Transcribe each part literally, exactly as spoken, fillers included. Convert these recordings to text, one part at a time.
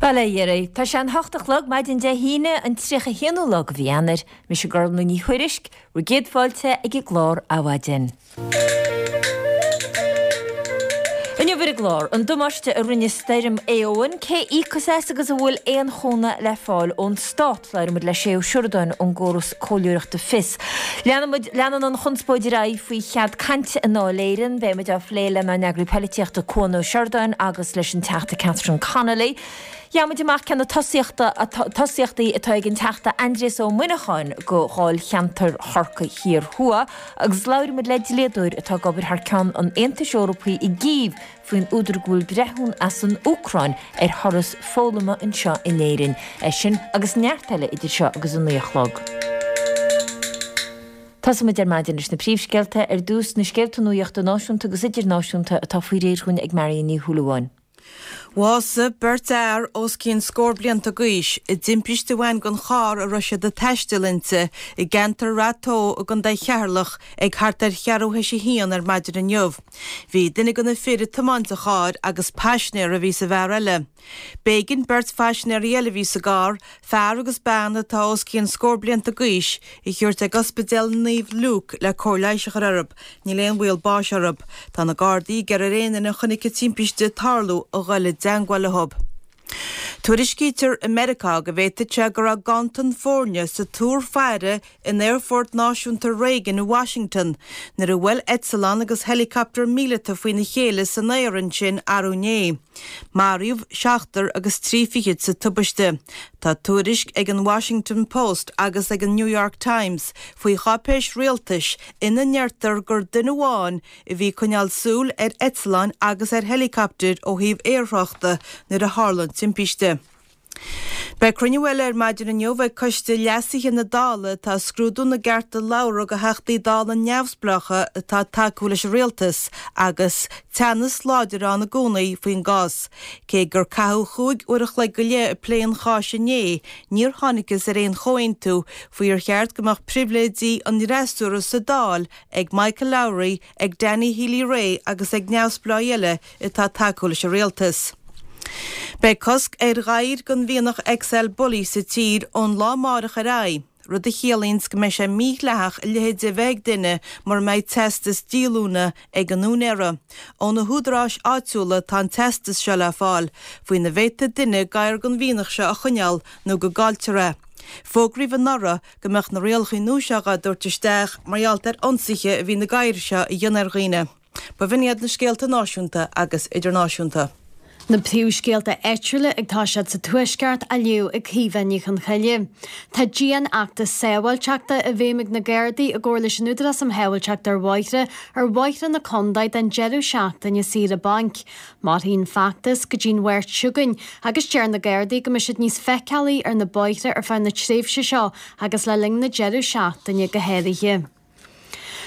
Bail ó Dhia oraibh. Tá sé an hocht a chlog maidin Dé hAoine an tríocha haonú lá de mhí Eanáir. Mise Gormlaith Ní Thuairisg, bhur gcéad fáilte ag an gclár Adhmhaidin. Inniu ar an gclár, an damáiste a rinne stoirm Éowyn, cé íocfas as agus an bhfuil aon chúnamh le fáil ón stát. Labhróidh muid le Shay Ó Sioradáin ón gcóras comhairleoireachta Fios. Leanann leanann an chonspóid ar aghaidh faoi chead cainte i nDáil Éireann, beidh muid á phlé lenár n-eagraí polaitíochta Cuan Ó Seireadáin agus leis an Teachta Catherine Connolly. Gheobhaidh muid amach cé na tosaíochta tosaíochtaí atá ag an Teachta Aindrias Ó Muineacháin go Dháilcheantar Chorcaí Thiar Thuaidh agus labhróidh muid le dlíodóir atá ag obair thar ceann an Aontais Eorpaigh i gCív faoin údar go bhfuil breithiún as an Úcráin ar thuras foghlama anseo in Éirinn. É sin agus neart eile idir seo agus an naoi a chlog. Tosóimid ar maidin leis na príomhscéalta ar dtús na scéalta nuachta náisiúnta agus idirnáisiúnta atá faoi réir dúinn ag Marion Ní Shúilleabháin. Bhásaigh beirt fhear os cionn scór blianta d'aois i dtimpiste a bhain den charr a raibh siad ag taisteal inti i gceantar Rath Tó i gContae Cheatharlach ag thart ar cheathrú théis a haon ar maidin inniu. Bhí duine de na fir ag tiomáint an chairr agus paisinéir a bhí sa bhfear eile. B'éigean beirt phaisinéirí eile a bhí sa gcarr, fear agus bean atá os cionn scór blianta d'aois, a thabhairt ag Ospidéal Naomh Luke le cóir leighis a chur orthu. Níl aon bhaol báis orthu. Tá na Gardaí ag iarraidh ar aon duine a chonaic an timpiste ag tarlú a dhul i dteagmháil leo. Tuairiscítear i Meiriceá go bhféadfadh sé go raibh ganntan foirne sa túr faire in Aerfort Náisiúnta Reagan i Washington nuair a bhuail eitleán agus helicopter míleata faoina chéile san aer ansin arú inné. Maraíodh seachtar agus trí fichid sa tubaiste. Tá tuairisc ag an Washington Post agus ag an New York Times faoi cháipéis rialtais ina ndeirtear gur duine amháin a bhí ag coinneáil súil ar eitleáin agus ar helicopter ó thaobh aerthráchta nuair a tharla an timpiste. Beidh cruinniú eile ar maidin inniu ag coiste leasaithe na Dála atá ag scrúdú na gcearta labhartha do Theachtaí Dála neamhspleácha atá ag tacú leis an rialtas agus teannas láidir ann i gcónaí faoin gcás. Cé gur caitheadh cúig uair a chloig go leith ag plé an cháis inné, níor thángthas ar aon chomhaontú faoi ar cheart go mbeadh pribhléidí an fhreasúra sa Dáil ag Michael Lowry, ag Danny Healy-Rae agus ag neamhspleáigh eile atá ag tacú leis an rialtas. Beidh cosc ar ghadhair den mhianach XL Bully sa tír ón lá amárach ar aghaidh, rud a chiallaíonn go mbeidh sé mídhleathach a leithéid a bheith ag duine mura mbeidh teastas díolúine ag an úinéara. Ó na húdaráis áitiúla atá an teastas seo le fáil, faoina bhféadfaidh duine gadhar den mhianach seo a choinneáil nó go gcailltear é. Fógraíodh anuraidh go mbeadh na rialacha nua seo á dtabhairt isteach mar gheall ar ionsaithe a bhí na gadhair seo a dhéanamh ar dhaoine. B'in iad na scéalta náisiúnta agus idirnáisiúnta. Na príomhscéalta áitiúla ag toiseacht sa Tuaisceart á léamh ag Caoimhe Ní Chonchoille. Tá dianfheachtas sábháilteachta i bhfeidhm ag na Gardaí i gcomhar leis an Údarás um Shábháilteacht ar Bhóithre ar bhóithre na contae don deireadh seachtaine saoire bainc. Mairfidh an feachtas go dtí'n Mháirt seo chugainn agus deir na Gardaí go mbeidh siad níos feiceálaí ar na bóithre ar feadh na tréimhse seo agus le linn na deireadh seachtaine go háirithe.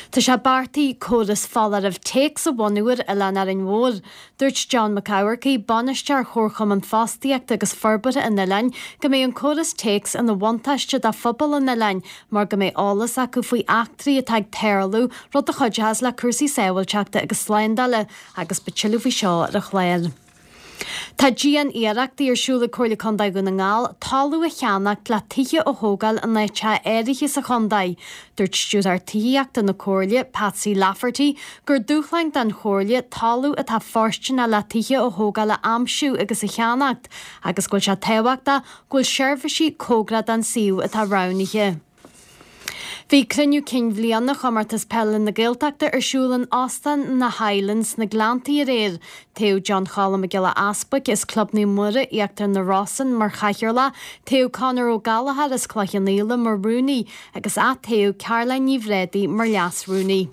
Tá sé beartaithe córas foláirimh téacs a bhunú ar Oileán Árainn Mhór. Dúirt John Mac Eamharcaigh, bainisteoir Chomharchumann Fostaíochta agus Forbartha an Oileáin, go mbeidh an córas téacs ina bhuntáiste do phobal an oileáin mar go mbeidh eolas acu faoi eachtraí atá ag tarlú, rud a chuideochas le cúrsaí sábháilteachta agus slándála, agus beidh tuilleadh faoi seo ar an chlár. Tá dian-iarrachtaí ar siúl ag Comhairle Contae Dhún na nGall talamh a cheannacht le tithe a thógáil in áiteacha áirithe sa chontae. Dúirt Stiúrthóir Tithíochta na Comhairle, Patsy Lafferty, gur dúshlán don Chomhairle talamh atá fóirsteanach le tithe a thógáil a aimsiú agus a cheannacht agus go bhfuil sé tábhachtach go bhfuil seirbhísí cóngarach don suíomh atá roghnaithe. Bhí cruinniú cinn bhliana Chomórtas Peile na Gaeltachta ar siúl in Óstán na Highlands sna Gleanntaí aréir. Toghadh John Cholm Mac Giolla Easbuic as Club Naomh Muire, Íochtar na Rosann mar chathaoirleach, toghadh Conor Ó Gallchóir as Cloich Cheann Fhaola mar rúnaí agus atoghadh Caroline Ní Bhréadaí mar leas-rúnaí.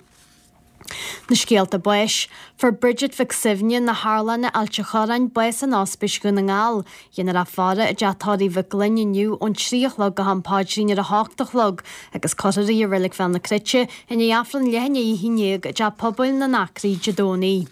Na scéalta báis. Fuair Bridget Mhic Suibhne na hArláine Ailt a' Chorráin bás in Ospís Dhún na nGall. Dhéanfar í a fhaire i dteach tórraimh Mhic Gloinn inniu ón trí a chlog go ham paidrín ar a hocht a chlog agus cuirfear í i Reilig Bhéal na Cruite i ndiaidh Aifreann leath i ndiaidh a haon déag i dteach pobail na nAcraí Dé Domhnaigh.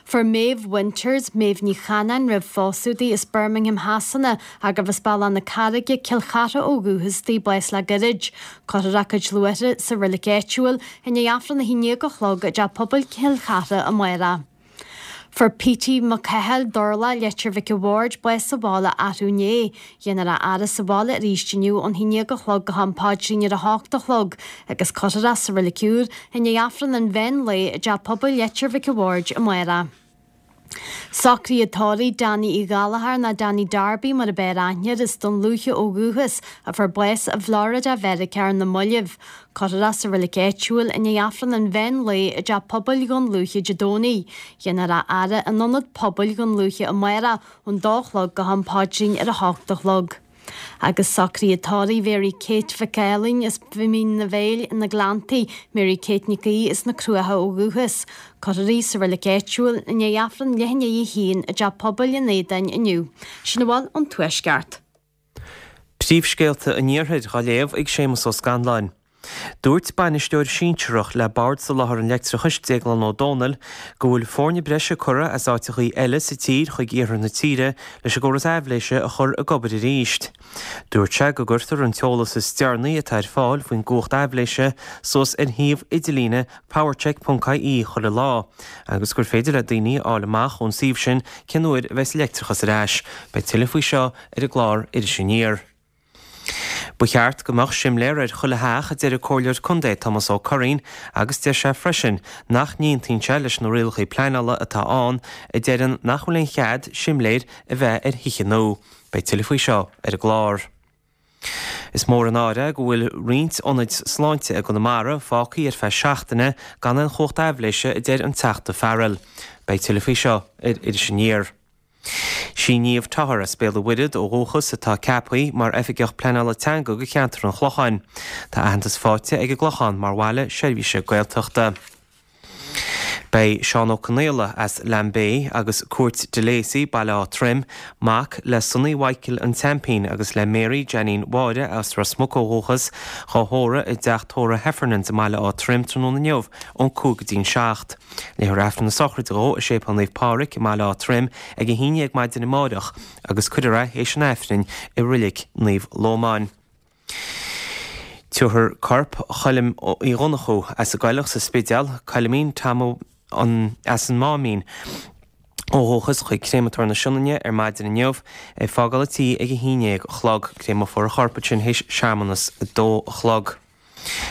Fuair Maeve Winters, Maeve Ní Chanáin roimh phósadh di as Birmingham Shasana agus as Bealach na Carraige, Cill Chartha ó dhúchas di, bás le gairid. Cuirfear a cuid luaithre sa reilig áitiúil i ndiaidh Aifreann a haon déag a chlog i dteach pobail Chill Chartha amárach. Fuair Petey Mac Cathail Durla Leitir Mhic a' Bhaird bás sa bhaile arú inné. Dhéanfar a fhaire sa bhaile arís inniu ón haon déag a chlog go ham paidrín ar a hocht a chlog agus cuirfear é sa reilig úr i ndiaidh Aifreann an mheán lae i dteach pobail Leitir Mhic a' Bhaird amárach. Socruithe tórraimh Danny Uí Ghallchóir nó Danny Darby mar ab fhearr aithne air as Dún Lúiche ó dhúchas a fuair bás i bhFlorida Mheiriceá ar na mallaibh. Cuirfear é sa reilig áitiúil i ndiaidh Aifreann an mheán lae i dteach pobail Dhún Lúiche Dé Domhnaigh. Dhéanfar a fhaire in ionad pobail Dhún Lúiche amárach ón dó a chlog go ham paidrín ar a hocht a chlog. Agus socruithe tórraimh Mary Kate Mhic Ailín as Mín na bhFéil na Gleanntaí, Mary Kate Nic Aoidh as na Cruacha ó dhúchas. Cuirfear í sa reilig áitiúil i ndiaidh Aifreann leath i ndiaidh a haon i dteach pobail an Éadáin inniu. Sin a bhfuil ón Tuaisceart. Príomhscéalta an Iarthair á léamh ag Séamus Ó Scanláin. Dúirt bainisteoir sinsearach le Bord Soláthair an Leictreachais Déaglán Ó Dónaill go bhfuil foirne breise curtha as áiteachaí eile sa tír chuig iarthar na tíre leis an gcóras aibhléise a chur ag obair arís. Dúirt sé go gcuirtear an t-eolas is deireanaí atá ar fáil faoin gcumhacht aibhléise suas ar shuíomh idirlíne powercheck.ie chuile lá, agus gur féidir le daoine a fháil amach ón suíomh sin cén uair a bheas leictreachas ar ais. Beidh tuilleadh faoi seo ar an gclár Iris Aniar. Ba cheart go mbeadh simléar ar chuile theach a deir an Comhairleoir Contae Tomás Ó Curraoin agus deir sé freisin nach n-aontaíonn sé leis na rialacha pleanála atá ann a deireann nach bhfuil aon chead simléir a bheith ar thithe nua. Beidh tuilleadh faoi seo ar an gclár. Is mór an náire go bhfuil roinnt ionaid sláinte i gConamara fágtha ar feadh seachtaine gan aon chumhacht aibhléise a deir an Teachta Farrell. Beidh tuilleadh faoi seo ar Iris Aniar. Sí Niamh Toher as Béal an Mhuirthead ó dhúchas atá ceaptha mar oifigeach pleanála teanga go cheantar an Chlocháin. Tá aitheantas faighte ag an gClochán mar bhaile seirbhíse Gaeltachta. Beidh Seán Ó Conaola as Lambay agus Cúirt de Lacey Baile Átha Troim, mac le Sonny Mhichael an tSeaimpín agus le Mary Janine Mháire as Ros Muc ó dhúchas, á thórramh i dteach tórraimh Heffernans i mBaile Átha Troim tráthnóna inniu ón cúig go dtí'n seacht. Léifear Aifreann na sochraide dó i Séipéal Naomh Pádraig i mBaile Átha Troim ag a haon déag maidin amáireach agus cuirfear é théis an Aifrinn i Reilig Naomh Lómáin. Tabharfar corp Choilm Uí Dhonnchú as an gCoileach sa Spidéal, Coilimín Tom an as an Máimín ó dhúchas chuig Créamatóir na Sionainne ar maidin inniu ag fágáil an tí ag a haon déag a chlog. Créamófar a chorp ansin théis searmanas a dó a chlog.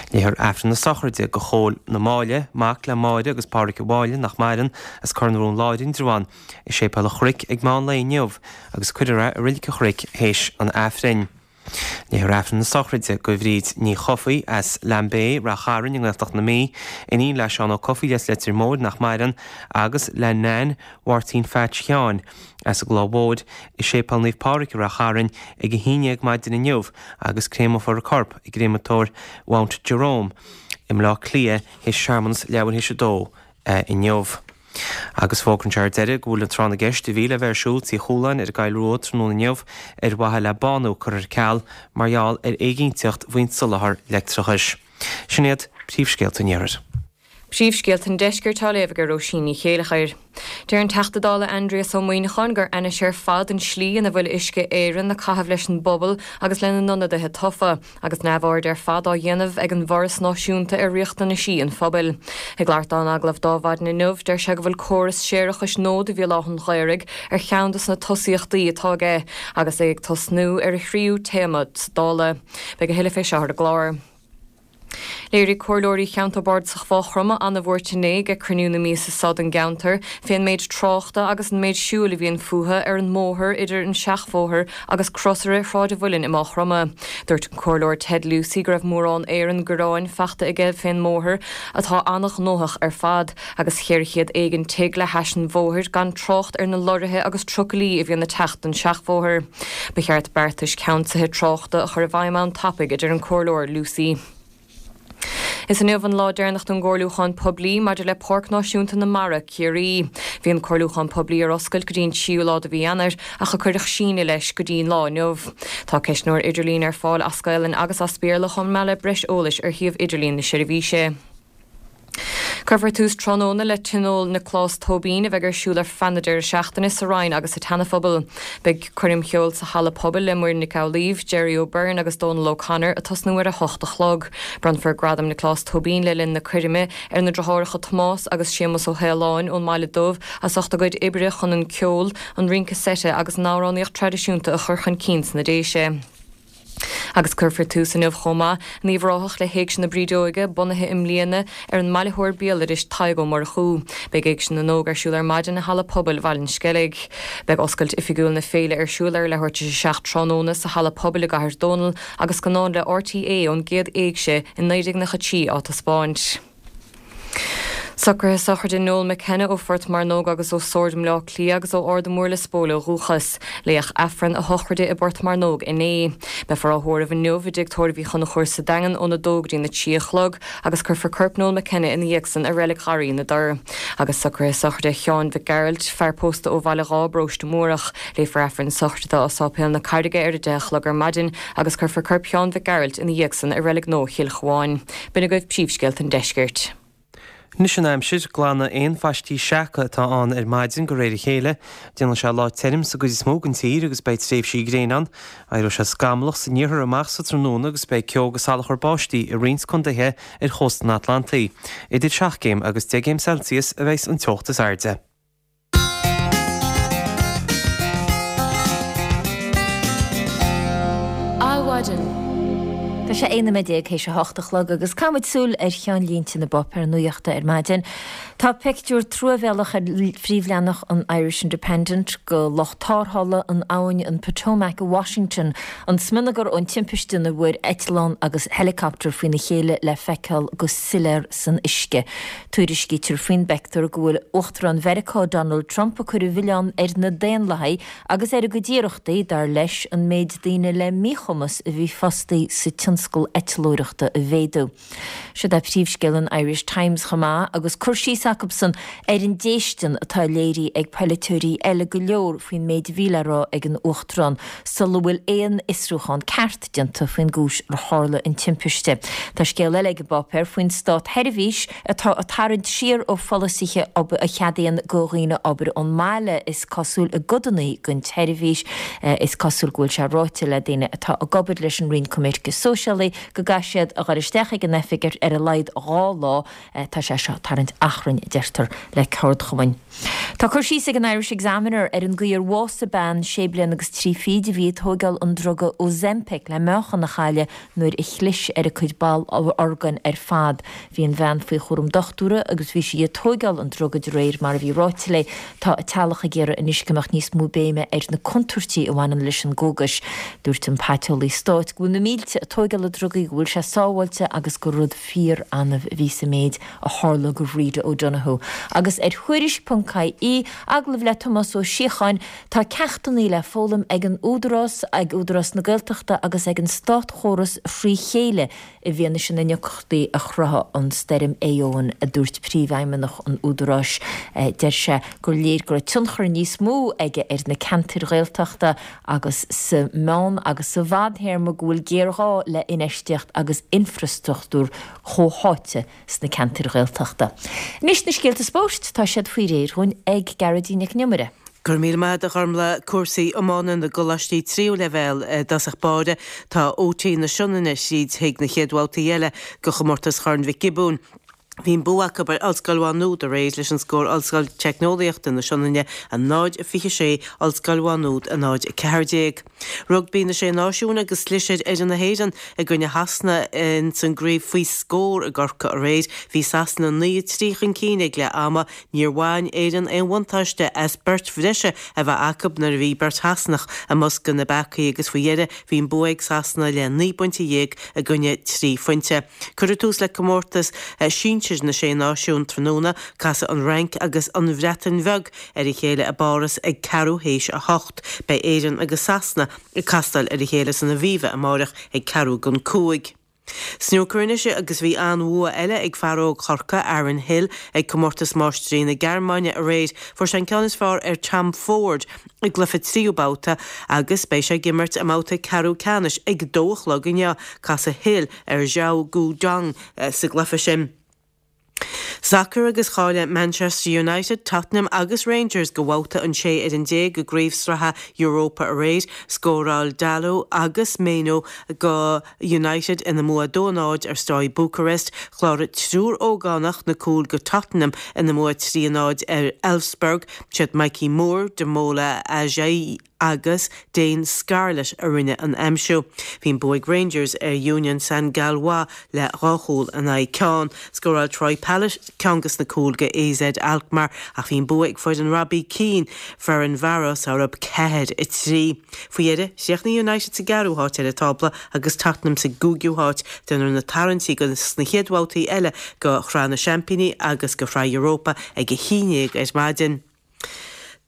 Léifear Aifreann na sochraide do Chóil na Máille, mac le Máire agus Pádraig Uí Mháille nach maireann as Cor na Rón Láir Indreabhán i Séipéal an Chnoic ag meán lae inniu agus cuirfear é i Reilig an Chnoic théis an Aifrinn. Léifear Aifreann na sochraide do Bhríd Ní Chofaigh as Lambay, Ráth Chairn i nGaeltacht na Mí, iníon le Seán Ó Cofaigh as Leitir Móir nach maireann agus le Nan Mháirtín Pheait Sheáin as an gCloich Mhóir i Séipéal Naomh Pádraig i Ráth Chairn ag a haon déag maidin inniu agus créamófar a corp i gcréamatóir Mount Jerome i mBleá Cliath théis searmanas leathuair théis a dó inniu. Agus fógraíonn sé ar deireadh go bhfuil an tráth na gceist a bhí le bheith ar siúl Tí Chualáin ar an gCoill Rua tráthnóna inniu ar mhaithe le bánú curtha ar ceal mar gheall ar éiginnteacht faoin soláthar leictreachais. Sin iad príomhscéalta an Iarthair. Príomhscéalta an Deiscirt á léamh ag Róisín Ní Chéileachair. Deir an Teachta Dála Aindrias Ó Muimhneacháin gur ainnis ar fad an slí ina bhfuil Uisce Éireann ag caitheamh leis an bpobal agus lena n-ionadaithe tofa, agus neamhaird ar fad á dhéanamh ag an bhForas Náisiúnta ar riachtanaisí an phobail. Ag labhairt dó in agallamh d'Adhmhaidin inniu, deir sé go bhfuil córas séarachais nua do Bhéal Átha an Ghaorthaidh ar cheann de na tosaíochtaí atá aige, agus é ag tosnú ar a thríú téarma sa Dáil. Beidh a thuilleadh fé seo ar an gclár. Léirigh comhairleoirí cheantar bardasach Mhaigh Chromtha an-bhuairt inné ag cruinniú na míosa seo den gceantar fén méid tráchta agus an méid siúil a bhíonn fúthu ar an mbóthar idir an seachbhóthar agus crosaire Shráid an Mhuilinn i Maigh Chromtha. Dúirt an comhairleoir Ted Lucey go raibh mórán Éireann gearáin faighte aige fén mbóthar atá an-ghnóthach ar fad agus ceithre chéad éigin tigh le hais an bhóthair gan trácht ar na lorraithe agus trucailí a bhíonn ag teacht den seachbhóthar. Ba cheart beartais ceansaithe tráchta a chur i bhfeidhm ann tapaidh a deir an comhairleoir Lucey. Is inniu an lá deireanach don gcomhairliúchán poiblí maidir le Páirc Náisiúnta na Mara, Ciarraí. Bhí an comhairliúchán poiblí ar oscailt go dtí an tríú lá de mhí Eanáir ach a cuireadh síneadh leis go dtí an lá inniu. Tá ceistneoir idirlín ar fáil as Gaelainn agus as Béarla chomh maith le breis eolais ar shuíomh idirlín na seirbhíse. Cuirfear tús tráthnóna le Tionól Nioclás Tóibín a bheidh ar siúl ar feadh na deireadh seachtaine sa Rinn agus sa tSeana-Phobal. Beidh coirm cheoil sa halla pobail le Muireann Nic Amhlaoibh, Jerry O'Byrne agus Dónal O'Connor ag tosnú ar a hocht a chlog. Bronnfar Gradam Nioclás Tóibín le linn na coirme ar na deartháireacha Tomás agus Séamus Ó hAoláin ón mBaile Dubh as ucht a gcuid oibre chun an ceol, an rince seite agus an amhránaíocht traidisiúnta a chur chun cinn sna Déise. Agus cuirfear tús inniu chomh maith in Uíbh Ráthach le hÉigse na Brídeoige, bunaithe i mbliana ar an mbailitheoir béaloidis Tadhg Ó Murchú. Beidh Éigse na nÓg ar siúl ar maidin i Halla Pobail Bhaile an Sceilg. Beidh oscailt oifigiúil na féile ar siúl ar leathuair tar éis a seacht tráthnóna sa Halla Pobail i gCathair Dónall agus scannán le RTÉ ón gcéad Éigse i naoi déag nócha trí á taispeáint. Socruithe sochraide Noel McKenna ó Phort Mearnóg agus ó Sord i mBleá Cliath agus ó Ard an Mhúir Lios Póil ó dhúchas. Léadh Aifreann a shochraide i bPort Mearnóg inné. Beifear á thórramh inniu i dTigh Tórraimh Uí Chonchúir sa Daingean óna dó go dtí na trí a chlog agus cuirfear corp Noel McKenna ina dhiaidh san i Reilig Gharraí na dTor. Agus socruithe sochraide Sheáin Mhic Gearailt, fear pósta ó Bhaile Dháith, Paróiste Múrach. Léifear Aifreann sochraide dó i Sáipéal na Carraige ar a deich a chlog ar maidin agus cuirfear corp Sheáin Mhic Gearailt ina dhiaidh san i Reilig Nua Chill Chabháin. B'in agaibh príomhscéalta an deiscirt. Anois an aimsir, glanadh aon phaistí seaca atá ann ar maidin de réir a chéile. Déanfaidh sé lá tirim sa gcuid is mó den tír agus beidh tréimhsí gréine ann. Éireoidh sé scamallach san iarthar amach sa tráthnóna agus beidh ceo agus salachar báistí i roinnt contaetha ar chósta an Atlantaigh. Idir seacht gcéim agus deich gcéim Celsius a bheas an teocht is airde. Adhmhaidin. Tá sé aon nóiméad déag théis a hocht a chlog agus caithfimid súil ar cheannlínte na bpáipéar nuachta ar maidin. Tá pictiúr truamhéalach ar phríomhleathanach an Irish Independent de lucht tarrthála in abhainn an Potomac i Washington, an smionagar ón timpiste ina bhfuair eitleán agus helicopter faoina chéile le feiceáil go soiléir san uisce. Tuairiscítear faoin bpictiúr go bhfuil Uachtarán Mheiriceá Donald Trump ag cur an mhilleáin ar na Daonlathaigh agus ar a gcuid iarrachtaí, dar leis, an méid daoine le míchumas a bhí fostaí sa tionscal eitleoireachta a mhéadú. Siod é príomhscéal an Irish Times chomh maith agus cur síos acusan ar an déistin atá léirithe ag polaiteoirí eile go leor faoin méid a bhí le rá ag an Uachtarán sula bhfuil aon fhiosrúchán ceart déanta faoin gcúis ar tharla an timpiste. Tá scéal eile ag an bpáipéar faoin státseirbhís atá ag tarraingt siar ó pholasaithe a cheadaíonn do dhaoine obair ón mbaile is cosúil i gcodanna den tseirbhís. Is cosúil go bhfuil sé ráite le daoine atá ag obair leis an Roinn Coimirce Sóisialaí go gcaithfidh siad a dhul isteach ag an oifig ar a laghad dhá lá. Tá sé seo ag tarraingt achrainn, a deirtear le ceardchumainn. Tá cur síos ag an Irish Examiner ar an gcaoi ar bhásaigh bean sé bliana agus trí fichid a bhí ag tóigeáil an druga Ozempic le meáchan a chailleadh nuair a chlis ar a cuid ball orgáin ar fad. Bhí an bhean faoi chúram dochtúra agus bhí sí ag tóigeáil an druga de réir mar a bhí ráite léi. Tá a teaghlach ag iarraidh anois go mbeadh níos mó béime ar na contúirtí a bhaineann leis an gcógas. Dúirt an paiteolaí stáit go bhfuil na mílte ag tóigeáil na drugaí, go bhfuil sé sábháilte agus gur rud fíor-annamh a bhí sa méid a tharla do Bhríde O'Donoghue. Agus ar Thuairisc ponc ie, agallamh le Tomás Ó Síocháin, tá ceachtanna le foghlaim ag an Údarás, ag Údarás na Gaeltachta agus ag an státchóras thrí chéile i bhfianaise na ndeacrachtaí a chruthaigh an stoirm Éowyn, a dúirt príomhfheidhmeannach an Údaráis. Deir sé gur léir go raibh tionchar níos mó aige ar na ceantair Ghaeltachta agus sa mheán agus sa bhfadthéarma go bhfuil géarghá le infheistíocht agus infreastruchtúr comhtháite sna ceantair Ghaeltachta. Anois na scéalta spóirt, tá siad faoi réir dhúinn ag Gearóidín Nic an Iomaire. Go raibh míle maith agat a Ghormfhlaith. Cúrsaí iomána na gcoláistí tríú leibhéal i dtosach báire. Tá OT na Sionainne tríd chuig na chéad bhabhtaí eile de chomórtas Chorn Mhic Giobúin. Bhí an bua acu ar Ollscoil Mhá Nuad aréir leis an scór Ollscoil Teicneolaíochta na Sionainne a náid a fiche sé, Ollscoil Mhá Nuad a náid a ceathair déag. Rugbaí na Sé Náisiún agus chlis ar fhoireann na hÉireann i gcoinne Shasana ins an gcraobh faoi scór i gCorcaigh aréir. Bhí Sasana naoi a trí chun cinn ag leath ama. Níor bhain Éirinn aon bhuntáiste as beirt bhreise a bheith acu nuair a bhí beirt Shasanach i mbosca na bpeacaí agus faoi dheireadh bhí an bua ag Sasana le naoi bpointe dhéag i gcoinne trí phointe. Cuirfear tús le comórtas sinsir na Sé Náisiún tráthnóna, casfaidh an Fhrainc agus an Bhreatain Bheag ar a chéile i bPáras ag ceathrú théis a hocht. Beidh Éirinn agus Sasana ag castáil ar a chéile san Aviva amáireach ag ceathrú don cúig. Snúcar anois agus bhí an-bhua eile ag fear óg Chorcaí, Aaron Hill, ag Comórtas Máistrí na Gearmáine aréir. Fuair sé an ceann is fearr ar Tom Ford i gcluiche tríú babhta agus beidh sé ag imirt i mbabhta ceathrú ceannais ag dó a chlog inniu. Casfaidh Hill ar Zhao Guodong sa gcluiche sin. Sacar agus cháiligh Manchester United, Tottenham agus Rangers go bhabhta an sé ar an déag de chraobh sraithe Europa aréir, scóráil Dalot agus Mainoo go United ina mbua dó náid ar Steaua Bucharest, chláraigh triúr ógánach na cúil go Tottenham ina mbua trí náid ar Elfsborg, siad Mikey Moore, Damola Ajayi agus Dane Scarlett a rinne an aimsiú. Bhí an bua ag Rangers ar Union Saint-Gilloise le dhá chúl in aghaidh ceann. Scóráil Troy Parrott ceann des na cúil go AZ Alkmaar ach bhí an bua ag foireann Robbie Keane Ferencváros orthu ceathair a trí. Faoi dheireadh chríochnaigh United sa gceathrú háit ar an tábla agus Tottenham sa gcúigiú háit déanfar na tarraingtí go sna chéad bhabhtaí eile go Shraith na Seaimpíní agus go Shraith Europa ag a haon déag ar maidin.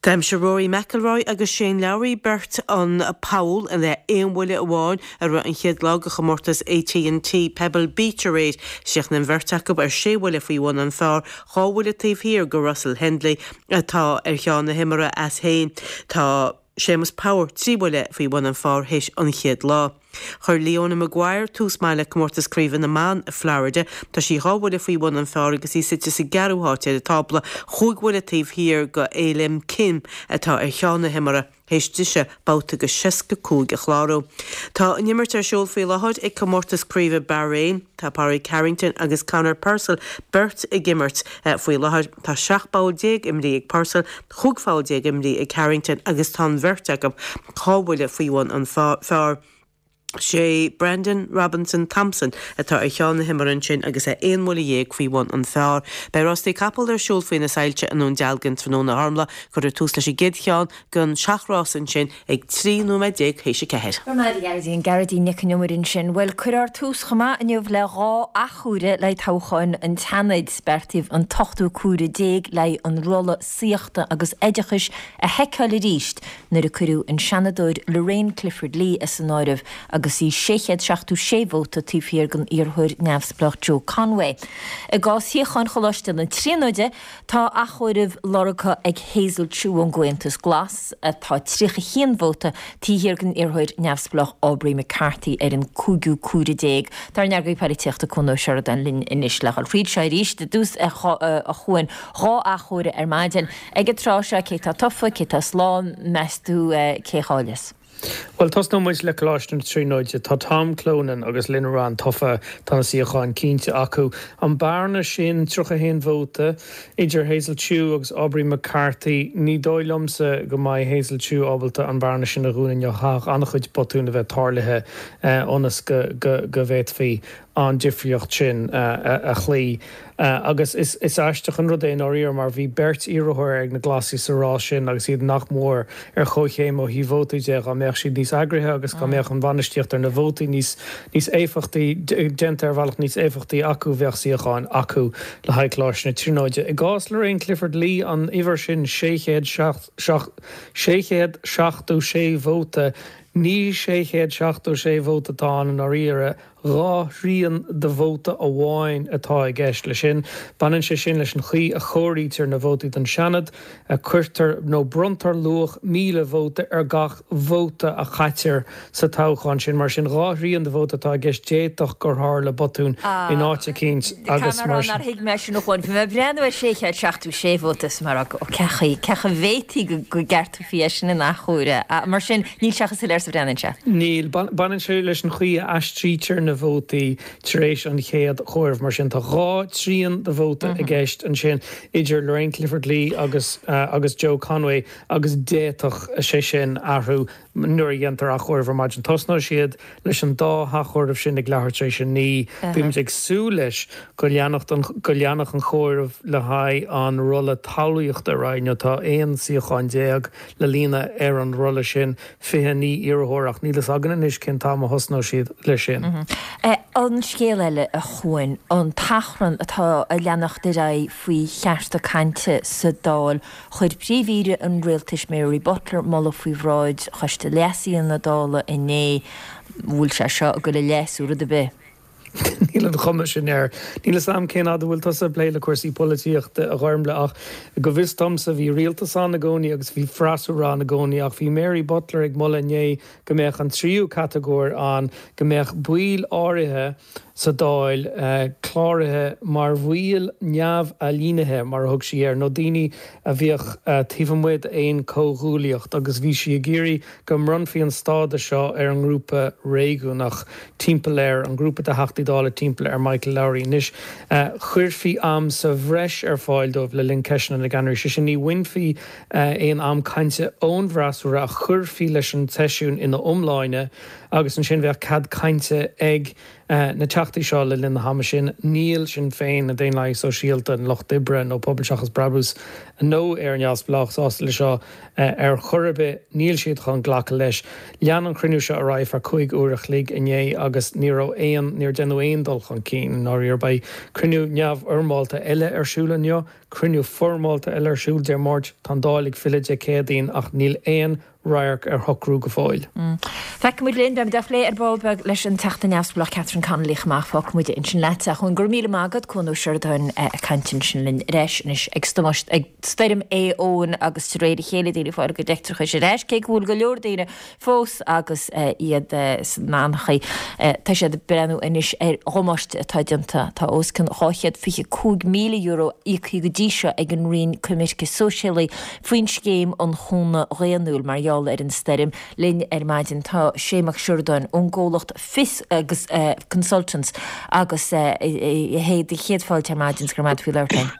D'aimsigh Rory McIlroy agus Shane Lowry beirt an poll le aon bhuille amháin i rith an chéad lá de chomórtas AT&T Pebble Beach aréir chríochnaigh an bheirt acu ar sé bhuille faoi bhun an phar dhá bhuille taobh thiar go Russell Henley atá ar cheann na himeartha as féin. Tá Séamus Power trí bhuille faoi bhun an phar théis an chéad lá. Chuir Leona Maguire tús maith le comórtas craoibhe na mban i Florida, Tá sí dhá bhuille faoi bhun an phar agus í suite sa gceathrú háit ar an tábla chúig bhuille taobh thiar go A-Lim Kim atá ar cheann na himeartha théis dise babhta go seasca cúig a chlárú. Tá an imirt ar siúl faoi láthair ag comórtas craoibhe Bahrain, tá Pádraig Harrington agus Conor Purcell beirt ag imirt faoi láthair tá seacht bpoll déag imrithe ag Purcell, chúig pholl déag imrithe ag Harrington agus tá an bheirt acu dhá bhuille faoi bhun an phar. Sé Brandon Robinson Thompson atá ar cheann na himeartha ansin agus é aon bhuille dhéag faoi bhun an phar. Beidh rástaí capall ar siúl faoi na soilse i nDún Dealgan tráthnóna a Ghormfhlaith cuirfear tús leis an gcéad cheann den seacht rás ansin ag trí nóiméad déag théis a ceathair. Gearóidín Gearóidín Nic an Iomaire ansin, Well cuirfear tús chomh maith inniu le dhá athchomhaireamh le toghcháin an tSeanaid beartaíodh an t-ochtú comhaireamh déag le an rolla saíochta agus oideachais a sheiceáil arís nuair a cuireadh an seanadóir Lorraine Clifford Lee as an áireamh agus í sé chéad seachtó sé vóta taobh thiar den iarrthóir neamhspleách Joe Conway. I gcás shuíochán Choláiste na Tríonóide tá athchomhaireamh lorgtha ag Hazel Chu ón gComhaontas Glas atá tríocha haon vóta taobh thiar den iarrthóir neamhspleách Aubrey McCarthy ar an cúigiú comhaireamh déag. Tá ár n-eagraí polaitíochta Cuan Ó Seireadáin linn anois le dhul fríd seo arís i dtús a Chuain dhá athchomhaireamh ar maidin. Ag an tráth seo cé tá tofa, cé tá slán meas tú cé cháileos. Well tosnóidh muid le Coláiste na Tríonóide tá Tom Clonan agus Lynn Ryan tofa tá na suíocháin cinnte acu. An bearna sin tríocha haon vóta idir Hazel Chu agus Aubrey McCarthy ní dóigh liomsa go mbeidh Hazel Chu ábalta an bearna sin a dhúnadh caithfidh an-chuid botún a bheith tarlaithe ionas go go go bhféadfaí an difríocht sin a chloí. Agus is is aisteach an rud é dáiríre mar bhí beirt iarrthóir ag na Glasaigh sa rás sin agus iad nach mór ar chomhchéim ó thaobh vótaí de dá mbeadh siad níos eagraithe agus dá mbeadh an bhainistíocht ar na vótaí níos níos éifeachtaí déanta ar bhealach níos éifeachtaí acu bheadh suíocháin acu le haghaidh Choláiste na Tríonóide. I gcás Lorraine Clifford Lee an uimhir sin sé chéad sé chéad seachtó sé vóta ní sé chéad seachtó sé vóta atá ann i ndáiríre dhá thrian de vóta amháin atá i gceist le sin. Baineann sé sin leis an chaoi a chomhairítear na vótaí don Seanad, a cuirtear nó bronntar luach míle vóta ar gach vóta a chaitear sa toghchán sin mar sin dhá thrian de vóta atá i gceist d'fhéadfadh gur tharla botún in áit eicínt agus mar sin. Thuig mé sin chuin mé breathnú ar sé chéad seachtó sé vóta mar cechaí cecha bhétaí go gceartófaí é sin in athuair mar sin níl sé chomh soiléir sa bhreathnaíonn sé. Níl baineann sé leis an chaoi a aistrítear na vótaí tar éis an chéad chomhaireamh mar sin tá dhá thrian de vóta i gceist ansin idir Lorraine Clifford Lee agus uh, agus Joe Conway agus d'fhéadfadh sé sin athrú nuair a dhéantar athchomhaireamh ar maidin tosnóidh siad leis an dá athchomhaireamh sin ag leathuair tar éis a naoi Bímid ag súil leis go leanfadh an go leanfadh an chomhaireamh le haghaidh an rolla talmhaíochta ar aghaidh nó tá aon suíochán déag le líonadh ar an rolla sin fiche naoi iarrthóir ach níl a fhios againn anois cén t-am a thosnóidh siad leis sin. Mm -hmm. eh, an scéal eile a Chuain an t-achrann atá ag leanacht ar aghaidh faoi chearta cainte sa Dáil chuir príomh-aoire an rialtais Mary Butler moladh faoi bhráid choiste leasaithe na Dála inné bhfuil sé seo go le leasú rud ar bith. Níl an chuma sin air. Níl a fhios agam cén fhad a bhfuil tusa ag plé le cúrsaí polaitíochta a Ghormfhlaith ach go bhfios domsa bhí rialtas ann i gcónaí agus bhí freasúra ann i gcónaí ach bhí Mary Butler ag moladh inné go mbeadh an tríú catagóir ann go mbeadh baill áirithe sa Dáil cláraithe mar bhaill neamh-ailínithe, mar a thug sí air, nó daoine a bhíodh taobh amuigh d'aon chomhghuaillíocht agus bhí sí ag iarraidh go mbronnfaí an stádas seo ar an ngrúpa réigiúnach timpeall air, an grúpa de Theachtaí Dála timpeall ar Michael Lowry. Anois, chuirfí am sa bhreis ar fáil dóibh le linn Ceisteanna na gCeannairí, sé sin, ní bhainfí aon am cainte ón bhfreasúra ach chuirfí leis an tseisiún ina iomláine agus ansin bheadh cead cainte ag na Teachtaí seo le linn na hama sin. Níl Sinn Féin, na Daonlathaigh Sóisialta, an Lucht Oibre nó Pobal Seachas Brabús nó Éire Neamhspleách sásta le seo ar chor ar bith. Níl siad chun glacadh leis. Lean an cruinniú seo ar aghaidh feadh cúig uair a chloig inné agus ní raibh aon, níor deineadh aon dul chun cinn i ndáiríre. Beidh cruinniú neamhfhoirmeálta eile ar siúl inniu, cruinniú foirmeálta eile ar siúl Dé Máirt. Tá an Dáil ag filleadh Dé Céadaoin ach níl aon radharc ar shocrú go fóill. Feicfidh muid linn, beimid á phlé ar ball beag leis an Teachta Neamhspleách Catherine Connolly chomh maith. Fágfaidh muid ansin leat a Chuain. Go raibh míle maith agat, Cuan Ó Seireadáin ag caint ansin linn ar ais anois ag ag Stoirm Éowyn agus de réir a chéile daoine ag fáil a gcuid leictreachais ar ais, cé go bhfuil go leor daoine fós agus iad san anchaoi. Tá siad ag breathnú anois ar dhamáiste atá déanta. Tá os cionn dhá chéad fiche cúig míle euro íoctha go dtí seo ag an Roinn Coimirce Sóisialaí faoin scéim um Chúnamh Dhaonnúil mar gheall ar an stoirm. Linn ar maidin tá Shay Mac Siordáin ón gcomhlacht Fios agus Consultants agus a Shay do chéad fáilte ar maidin 's go raibh maith agat faoi labhairt linn.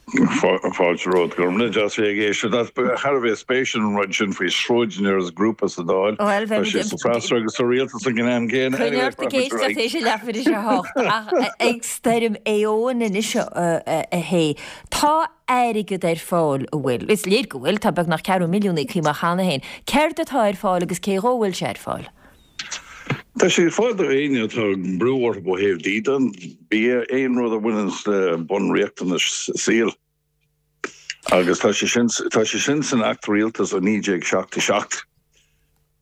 Fáilte romhat, go raibh míle deas bheith ag éisteacht. Thar a bheith spéisiúil an rud sin faoi sráideanna agus grúpa sa Dáil. Bhuel, Tá sé sa freasúra agus sa rialtas ag an am gcéanna. Coinnigh ort ag éisteacht théis a leathuair théis a hocht. Ach ag stoirm Éowyn anois a Shay. Tá airgead ar fáil, an bhfuil? Is léir go bhfuil, tá beagnach ceathrú milliún íoctha amach cheana féin. Céard atá ar fáil agus cé dhó a bhfuil sé ar fáil? Tá sé ar fáil do éinne atá brú orthu ó thaobh dídean, bia, aon rud a bhaineann le bunriachtanais saoil. Agus tá sé sin, tá sé sin san Acht Rialtais ó naoi déag seachtó seacht.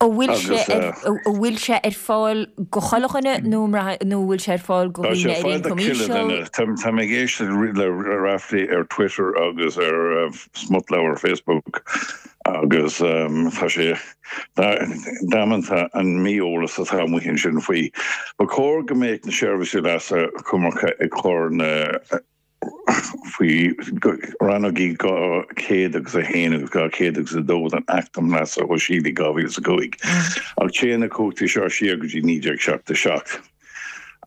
An bhfuil sé ar, an bhfuil sé ar fáil go chuile dhuine nó nó an bhfuil sé ar fáil go Tá sé dhaoine ar ar fáil do ioncam chuile íseal? dhuine. Tá, tá mé ag éisteacht le Raftery ar Twitter agus ar smutleabhar Facebook agus tá sé damanta an mí-eolas atá amuigh ansin faoi. Ba chóir go mbeadh na seirbhísí leasa coimirce ag cur na faoi rannógaí dhá chéad agus a haon agus dhá chéad agus a dó den Acht um Leasa Shóisialaigh dhá mhíle is a cúig, ach téann na cumhachtaí seo siar go dtí naoi déag seachtó seacht.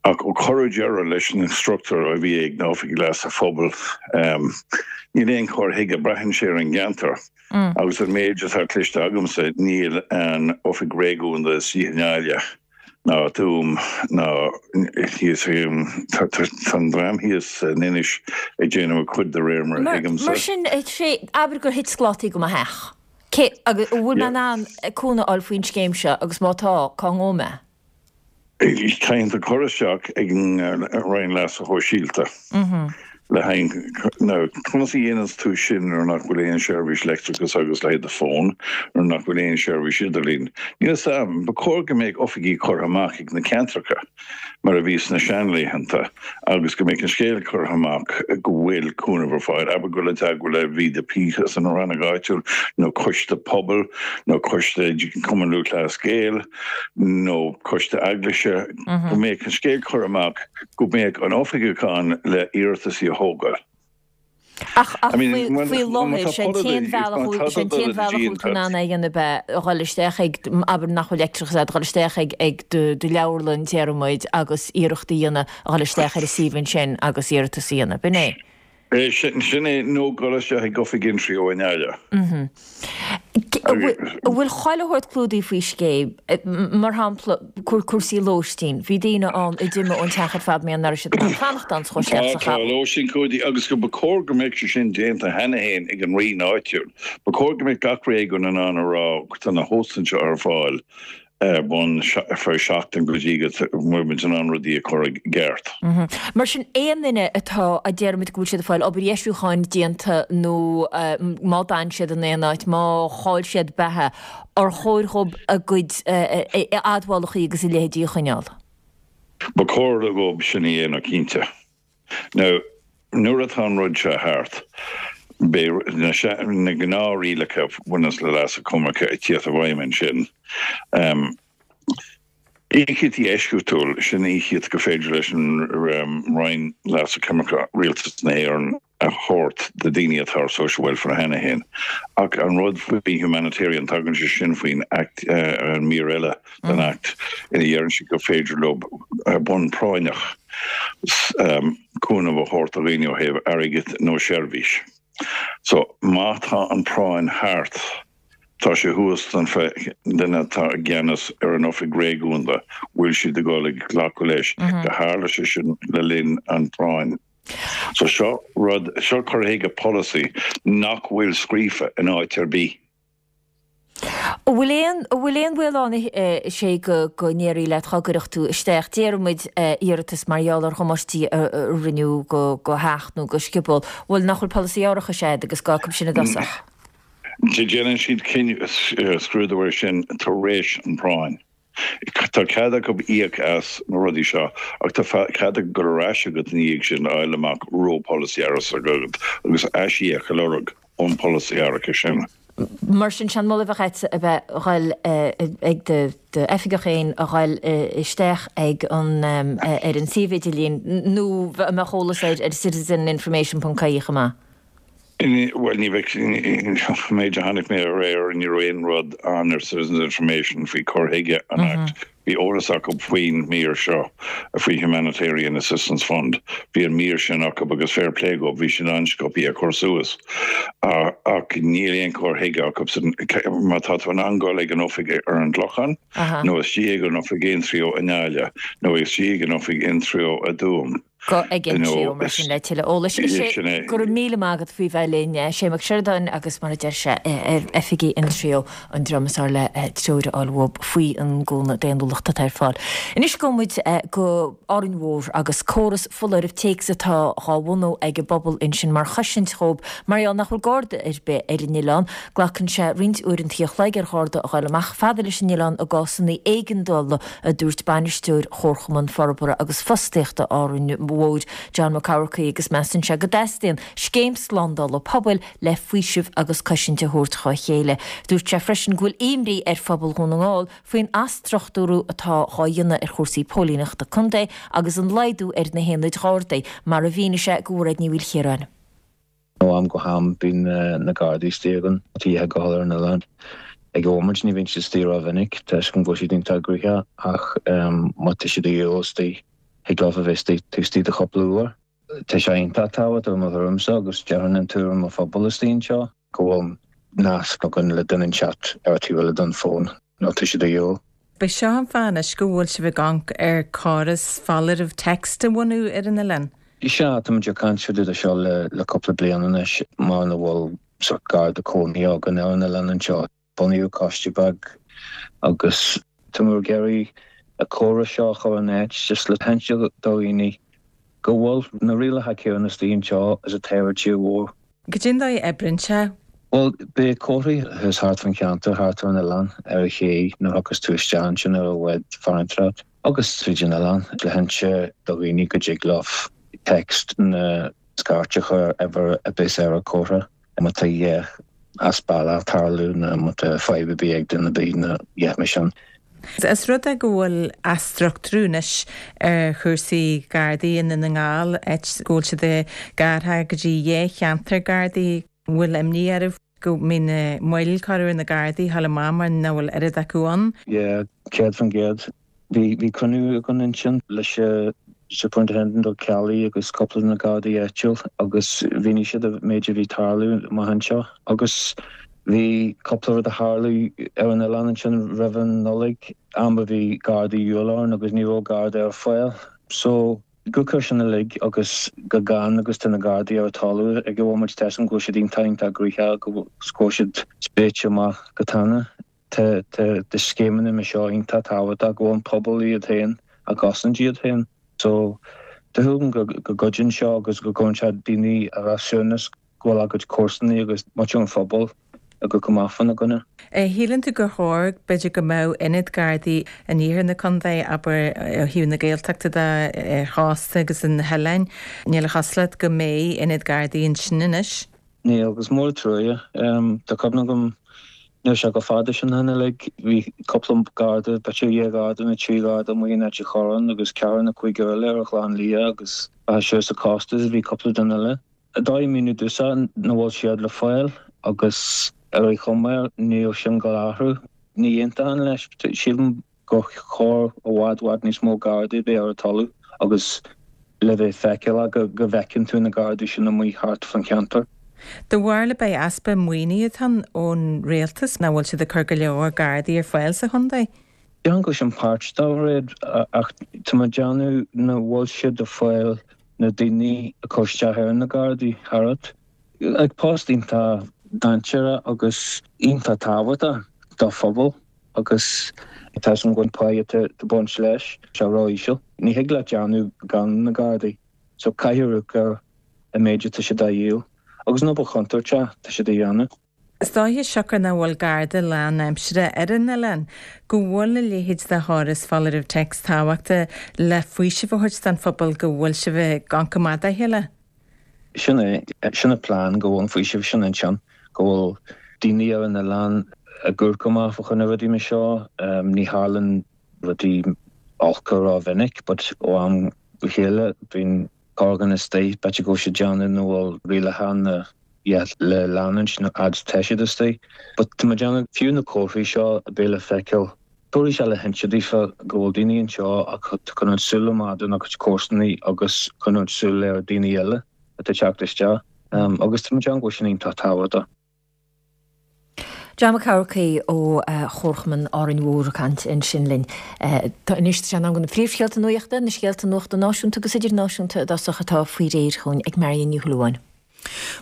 Ach ó cuireadh deireadh leis na struchtúir a bhí ag na Oifigí Leasa Phobail, níl aon chur chuige, braitheann sé ar an gceantar. Agus an méid atá cloiste agamsa, níl an Oifig Réigiúnda istigh i nGaillimh. ná Tuaim ná thíos tá an dream thíos in Inis ag déanamh a cuid de réir mar a thuigimse. Mar sin, sé, abair gur thit sclátaí go mo theach. Cé, agus an bhfuil mé in ann cúnamh a fháil faoin scéim seo agus má tá, cá ngabhfaidh mé? Caithfidh tú cur isteach ag an Roinn Leasa Shóisialta le haghaidh, now, conas a dhéananns tú sin nuair nach bhfuil aon seirbhís leictreachais agus le haghaidh do fón, nuair nach bhfuil aon seirbhís idirlín? Níl 'fhios a'm. Ba chóir go mbeadh oifigí curtha amach ag na ceantracha, mar a bhí sna seanlaethanta, agus go mbeadh an scéal curtha amach go bhfuil cúnamh ar fáil. Abair go bhfuil i dteagmháil le VDP san rannóg áitiúil, nó coiste pobail, nó coiste Cumann Lúthchleas Gael, nó coiste eaglaise, go mbeadh an scéal curtha amach go mbeadh an oifigeach ann le iarrataisí a thógáil. Ach faoi láthair, sé an t-aon bhealach, sé an t-aon bhealach a bhfuil tú in ann é a dhéanamh ab ea a dhul isteach ag, abair nach bhfuil leictreachas agat, a dhul isteach ag ag do do leabharlann, déarfaidh muid, agus iarracht a dhéanamh a dhul isteach ar an suíomh ansin agus iarratas a dhéanamh. B'in é. Sin é, nó dul isteach ag oifig Intreo i nGaillimh. An bhfuil chuile shórt clúdaithe faoi scéim? Mar shampla, cúrsaí lóistín. Bhí daoine ann a d'imigh ón teach ar fad mar nach raibh siad in ann fanacht ann sa Tá, tá lóistín clúdaithe agus go ba chóir go mbeadh sé sin déanta cheana féin ag an roinn áitiúil. Ba chóir go mbeadh gach réigiún in ann a rá tá na hóstáin seo ar fáil. ar bun ar feadh seachtain go dtí go bhfuil muid in ann rudaí a chur i gceart. Mar sin, aon duine atá, a déarfaimid go bhfuil siad ag fáil obair dheisiúcháin déanta nó má d'fhan siad in aon áit, má chaill siad beatha, ar chóir dhóibh a gcuid admhálacha agus a leithéidí a choinneáil? Ba chóir dhóibh sin a dhéanamh, cinnte. Now, nuair atá an rud seo thart, beidh na na gnáthrialacha a bhaineanns le leasú coimirce ag tíocht i bhfeidhm ansin. Íocaíochtaí eisceachtúil, sin íocaíocht gur féidir leis an Roinn Leasa Coimirce Rialtas na hÉireann a thabhairt do daoine atá ar social welfare cheana féin. Ach an rud faoi humanitarian, tagann sé sin faoin Act, an mír eile den Act ina dheireann sé gur féidir leo ar bhonn práinneach cúnamh a thabhairt do dhaoine ó thaobh airgid nó seirbhís. So má tá an práinn thart, Tá sé thuas don duine atá i gceannas ar an oifig réigiúnda, bhfuil siad ag dul ag glacadh leis go tharla sé sin le linn an phráinn. So seo rud, seo cur chuige polasaí nach bhfuil scríofa in áit ar bith. An bhfuil aon, an bhfuil aon bhaol ann a Shé go, go ndéarfaí leat dhá gcuirfeadh tú isteach, déarfaidh muid, iarratas mar gheall ar dhamáistí a rinneadh do, do theach nó do scioból, bhuel nach bhfuil polasaí árachais agat agus gá acu sin i dtosach? Déanann siad scrúdú air sin tar éis an phráinn. Tá cead acu íoc as na rudaí seo ach tá cead acu dul ar ais agat ina dhiaidh sin a fháil amach an raibh polasaí árachais agat agus aisíoc a lorg ón bpolasaí árachais sin. Mar sin, sé an moladh a bheadh agatsa a bheith a dhul ag d'oifigeach féin a dhul isteach ag an ar an suíomh idirlín nó a mbeadh eolas air ar citizeninformation ponc ie chomh maith? Bhuel, ní bheadh, an méid a chonaic mé aréir, ní raibh aon rud ann ar Citizens Information faoi cur chuige an Act. Bhí eolas acu faoin mír seo, faoi Humanitarian Assistance Fund. Bhí an mír sin acu agus fair play dóibh, bhí siad an-sciobtha á cur suas. Ach níl aon chur chuige acu. Má tá tú in ann dul ag an oifig ar an gClochán, nó istigh ag an oifig Intreo i nGaillimh, nó istigh ag an oifig Intreo i dTuaim, Gabh ag Intreo mar sin le tuilleadh eolais. Sé go raibh míle maith agat faoi bheith linn, Sé Mac Seireadáin agus mar a deir sé ar oifigí Intreo an dream is fearr le treoir a fháil uathub faoi an gcúnamh daonnúlachta atá ar fáil. Anois gabhfaidh muid go Árainn Mhór agus córas foláireamh téacs atá dhá bhunú ag an bpobal ansin mar chosaint dhóibh mar gheall nach bhfuil garda ar bith ar an oileán. Glacann sé roinnt uaireanta a chloig ar gharda a ghoil amach fada leis an oileán i gcásanna éigeandála, a dúirt bainisteoir Chomharchumann Forbartha agus Fostaíochta Árainn Mhóir, John Mac Eamharcaigh agus measann sé go dteastaíonn scéim slándála pobail le faoiseamh agus cosaint a thabhairt dhá chéile. Dúirt sé freisin go bhfuil imní ar phobal Dhún na nGall faoin athstruchtúrú atá dhá dhéanamh ar chúrsaí póilíneachta contae agus an laghdú ar na haonaid Ghardaí, mar a mhínigh sé do Mhairéad Ní Mhaoilchiaráin. Ó am go ham bíonn na Gardaí istigh againn tá a ghabháil ar an oileán. Ag an mhóimint ní bhíonn siad istigh rómhinic toisc go bhfuil siad iontach gnoitheach ach má tá siad a dhíobháil istigh thig leo a bheith istigh taobh istigh de chúpla uair. Tá sé iontach tábhachtach i mo thuairimse agus déarfainn in tuairim an phobail istigh anseo go bhfuil nasc againn le duine inteacht ar an taobh eile den fón nó tá siad a dhíobháil. B'é seo an fáth anois go bhfuil sibh ag amharc ar chóras foláireamh text a bhunú ar an oileán. Sea, táimid ag caint fá dtaobh de seo le le cúpla bliain anois mar nach bhfuil sórt garda cónaithe againn ar an oileán anseo. Bunaíodh coiste beag agus táimid ag iarraidh an córas seo a chur in áit just le hinse do dhaoine go bhfuil na rialacha céanna istigh anseo is atá ar an tír mhór. Cad é an dóigh a oibríonn sé? Bhuel, beidh comharthaí thuas thart fán cheantar, thart ar an oileán, ar an ché nuair a thiocfas tú isteach ansin ar an bhád tarraingt leat, agus tríd an oileán, le hinse do dhaoine go dtig leo text nó scairt a chur ar uimhir a bheas ar an chomhartha má tá a dhath as bealach ag tarlú nó má tá fadhb ar bith ag duine ar bith nó a dhath mar sin. Is rud é go bhfuil athstruchtúrú anois ar chúrsaí Gardaí i nDún na nGall, áit go bhfuil siad gearrtha go dtí dhá cheantar Gardaí. An bhfuil imní oraibh go mbeidh na moill curtha ar na Gardaí a ghabháil amach mar nach bhfuil oiread acu ann? Yeah, céad faoin gcéad. Bhí bhí cruinniú againn ansin leis an Superintendent Ó Ceallaigh agus cúpla de na Gardaí áitiúil agus mhínigh siad an méid a bhí ag tarlú amach anseo agus bhí cúpla rud a tharla ar an oileán ansin roimh an Nollaig, am a bhí Gardaí de dhíobháil orainn agus ní raibh Garda ar fáil. So, go cur sin uilig agus go gann agus tá na Gardaí ar an talamh ag an bhomaite tá a fhios agam go bhfuil siad iontach iontach gnoitheach agus go bhfuil siad spréite amach go tana. Tá tá scéimeanna mar seo iontach tábhachtach go bhfuil an pobal iad féin ag cosaint iad féin. So tá súil agam go go gcuidíonn seo agus go gcuireann sé daoine ar a suaimhneas go bhfuil a gcuid comharsana agus muintir an phobail ag gabháil amach fána gcoinne. Shíleann tú gur chóir, b'fhéidir, go mbeadh ionad Gardaí in iarthar na contae, abair, ó thaobh na Gaeltachta de, ar chósta agus ar na hoileáin. Níl a chosúlacht go mbeidh ionad Gardaí ansin anois. Níl, agus mór an truaighe. Tá cuimhne agam Níl sé chomh fada sin ó shin uilig, bhí cúpla garda, b'fhéidir dhá gharda nó trí gharda amuigh in Ailt an Chorráin agus ceathrar nó cúigear eile ar an Chlochán Liath agus siar sa Costas bhí cúpla duine eile. Dóigh míniú domhsa nach bhfuil siad le fáil agus ar aon chuma níl sin ag dul a athrú. Ní aontaím leis. Sílim gur chóir i bhfad bhfad níos mó gardaí a bheith ar an talamh agus le bheith feiceálach go go bhfeiceann tú na gardaí sin amuigh thart fan cheantar. Do bharúil ab é easpa maoinithe atá ann ón rialtas nach bhfuil siad ag cur go leor gardaí ar fáil sa chontae? Déarfainn go bhfuil sin páirt dá rud ach tá mé ag déanamh nach bhfuil siad ag fáil na daoine a chur isteach ar na gardaí thart. Like post iontach dainséarach agus iontach tábhachtach do phobal agus tá an go pá atá ag baint leis sé ró-íseal. Ní thig leat déanamh gan na Gardaí, so caithfidh amharc ar an méid atá siad á dhíol agus an obair chontúirteach atá siad a dhéanamh. Is dóiche, siocair nach bhfuil Garda lánaimseartha ar an oileán, go bhfuil a leithéid de chóras foláireamh téacs tábhachtach le faoiseamh a thabhairt don phobal go bhfuil sibh ag amharc amach dá chéile. Sin é, sin an plean, go bhfuil an faoiseamh sin ansin, go bhfuil daoine ar an oileán ag amharc amach fá choinne rudaí mar seo. Ní tharlaíonn rudaí olca ró-mhinic but ó am go chéile bíonn corrdhuine istigh, b'fhéidir go bhfuil siad ag déanamh nach bhfuil rialacha na le leanúint nó fhad tá siad istigh. But tá mé ag déanamh fiú na comharthaí seo a bheith le feiceáil, tabharfaidh sé le hinse daofa go bhfuil daoine anseo ag coinneáil súil amach dona gcuid comharsanaí agus coinneáil súil ar daoine eile atá ag teacht isteach. Agus tá mé ag déanamh go bhfuil sin iontach tábhachtach. John Mac Eamharcaigh ó Chomharchumann Árainn Mhór ag caint ansin linn. Anois tá sé in am do na príomhscéalta nuachta, na scéalta nuachta náisiúnta agus idirnáisiúnta i dtosach atá faoi réir chugainn ag Marion Ní Shúilleabháin.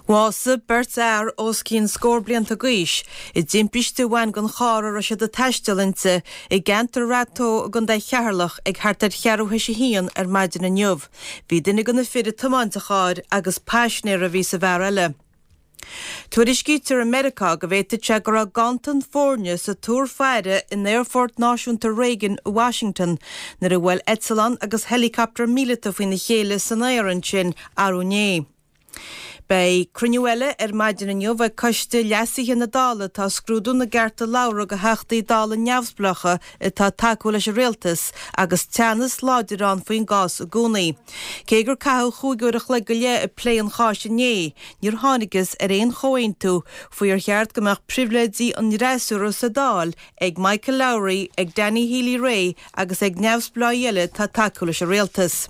Bhásaigh beirt fhear os cionn scór blianta d'aois i dtimpiste a bhain den charr a raibh siad ag taisteal inti i gceantar Rath Tó i gContae Cheatharlach ag thart ar cheathrú théis a haon ar maidin inniu. Bhí duine de na fir ag tiomáint an chairr agus paisinéir a bhí sa bhfear eile. Tuairiscítear i Meiriceá go bhféadfadh sé go raibh ganntan foirne sa túr faire in Aerfort Náisiúnta Reagan i Washington nuair a bhuail eitleán agus heileacaptar míleata faoina chéile san aer ansin arú inné. Beidh cruinniú eile ar maidin inniu ag Coiste Leasaithe na Dála atá ag scrúdú na gcearta labhartha do Theachtaí Dála neamhspleácha atá ag tacú leis an rialtas agus teannas láidir ann faoin gcás i gcónaí. Cé gur caitheadh chúig uair a chloig go leith ag plé an cháis inné, níor thángthas ar aon chomhaontú faoi ar cheart go mbeadh pribhléidí an fhreasúra sa Dáil ag Michael Lowry, ag Danny Healy-Rae agus ag neamhspleáigh eile atá ag tacú leis an rialtas.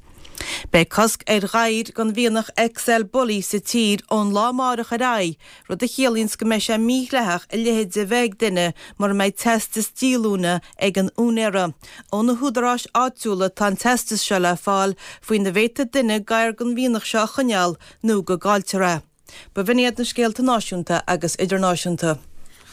Beidh cosc ar ghadhair den mhianach XL Bully sa tír ón lá amárach ar aghaidh, rud a chiallaíonns go mbeidh sé mídhleathach a leithéid a bheith ag duine mura mbeidh teastas díolúine ag an úinéara. Ó na húdaráis áitiúla atá an teastas seo le fáil faoina bhféadfaidh duine gadhar den mhianach seo a choinneáil nó go gcailltear é. B'in iad na scéalta náisiúnta agus idirnáisiúnta.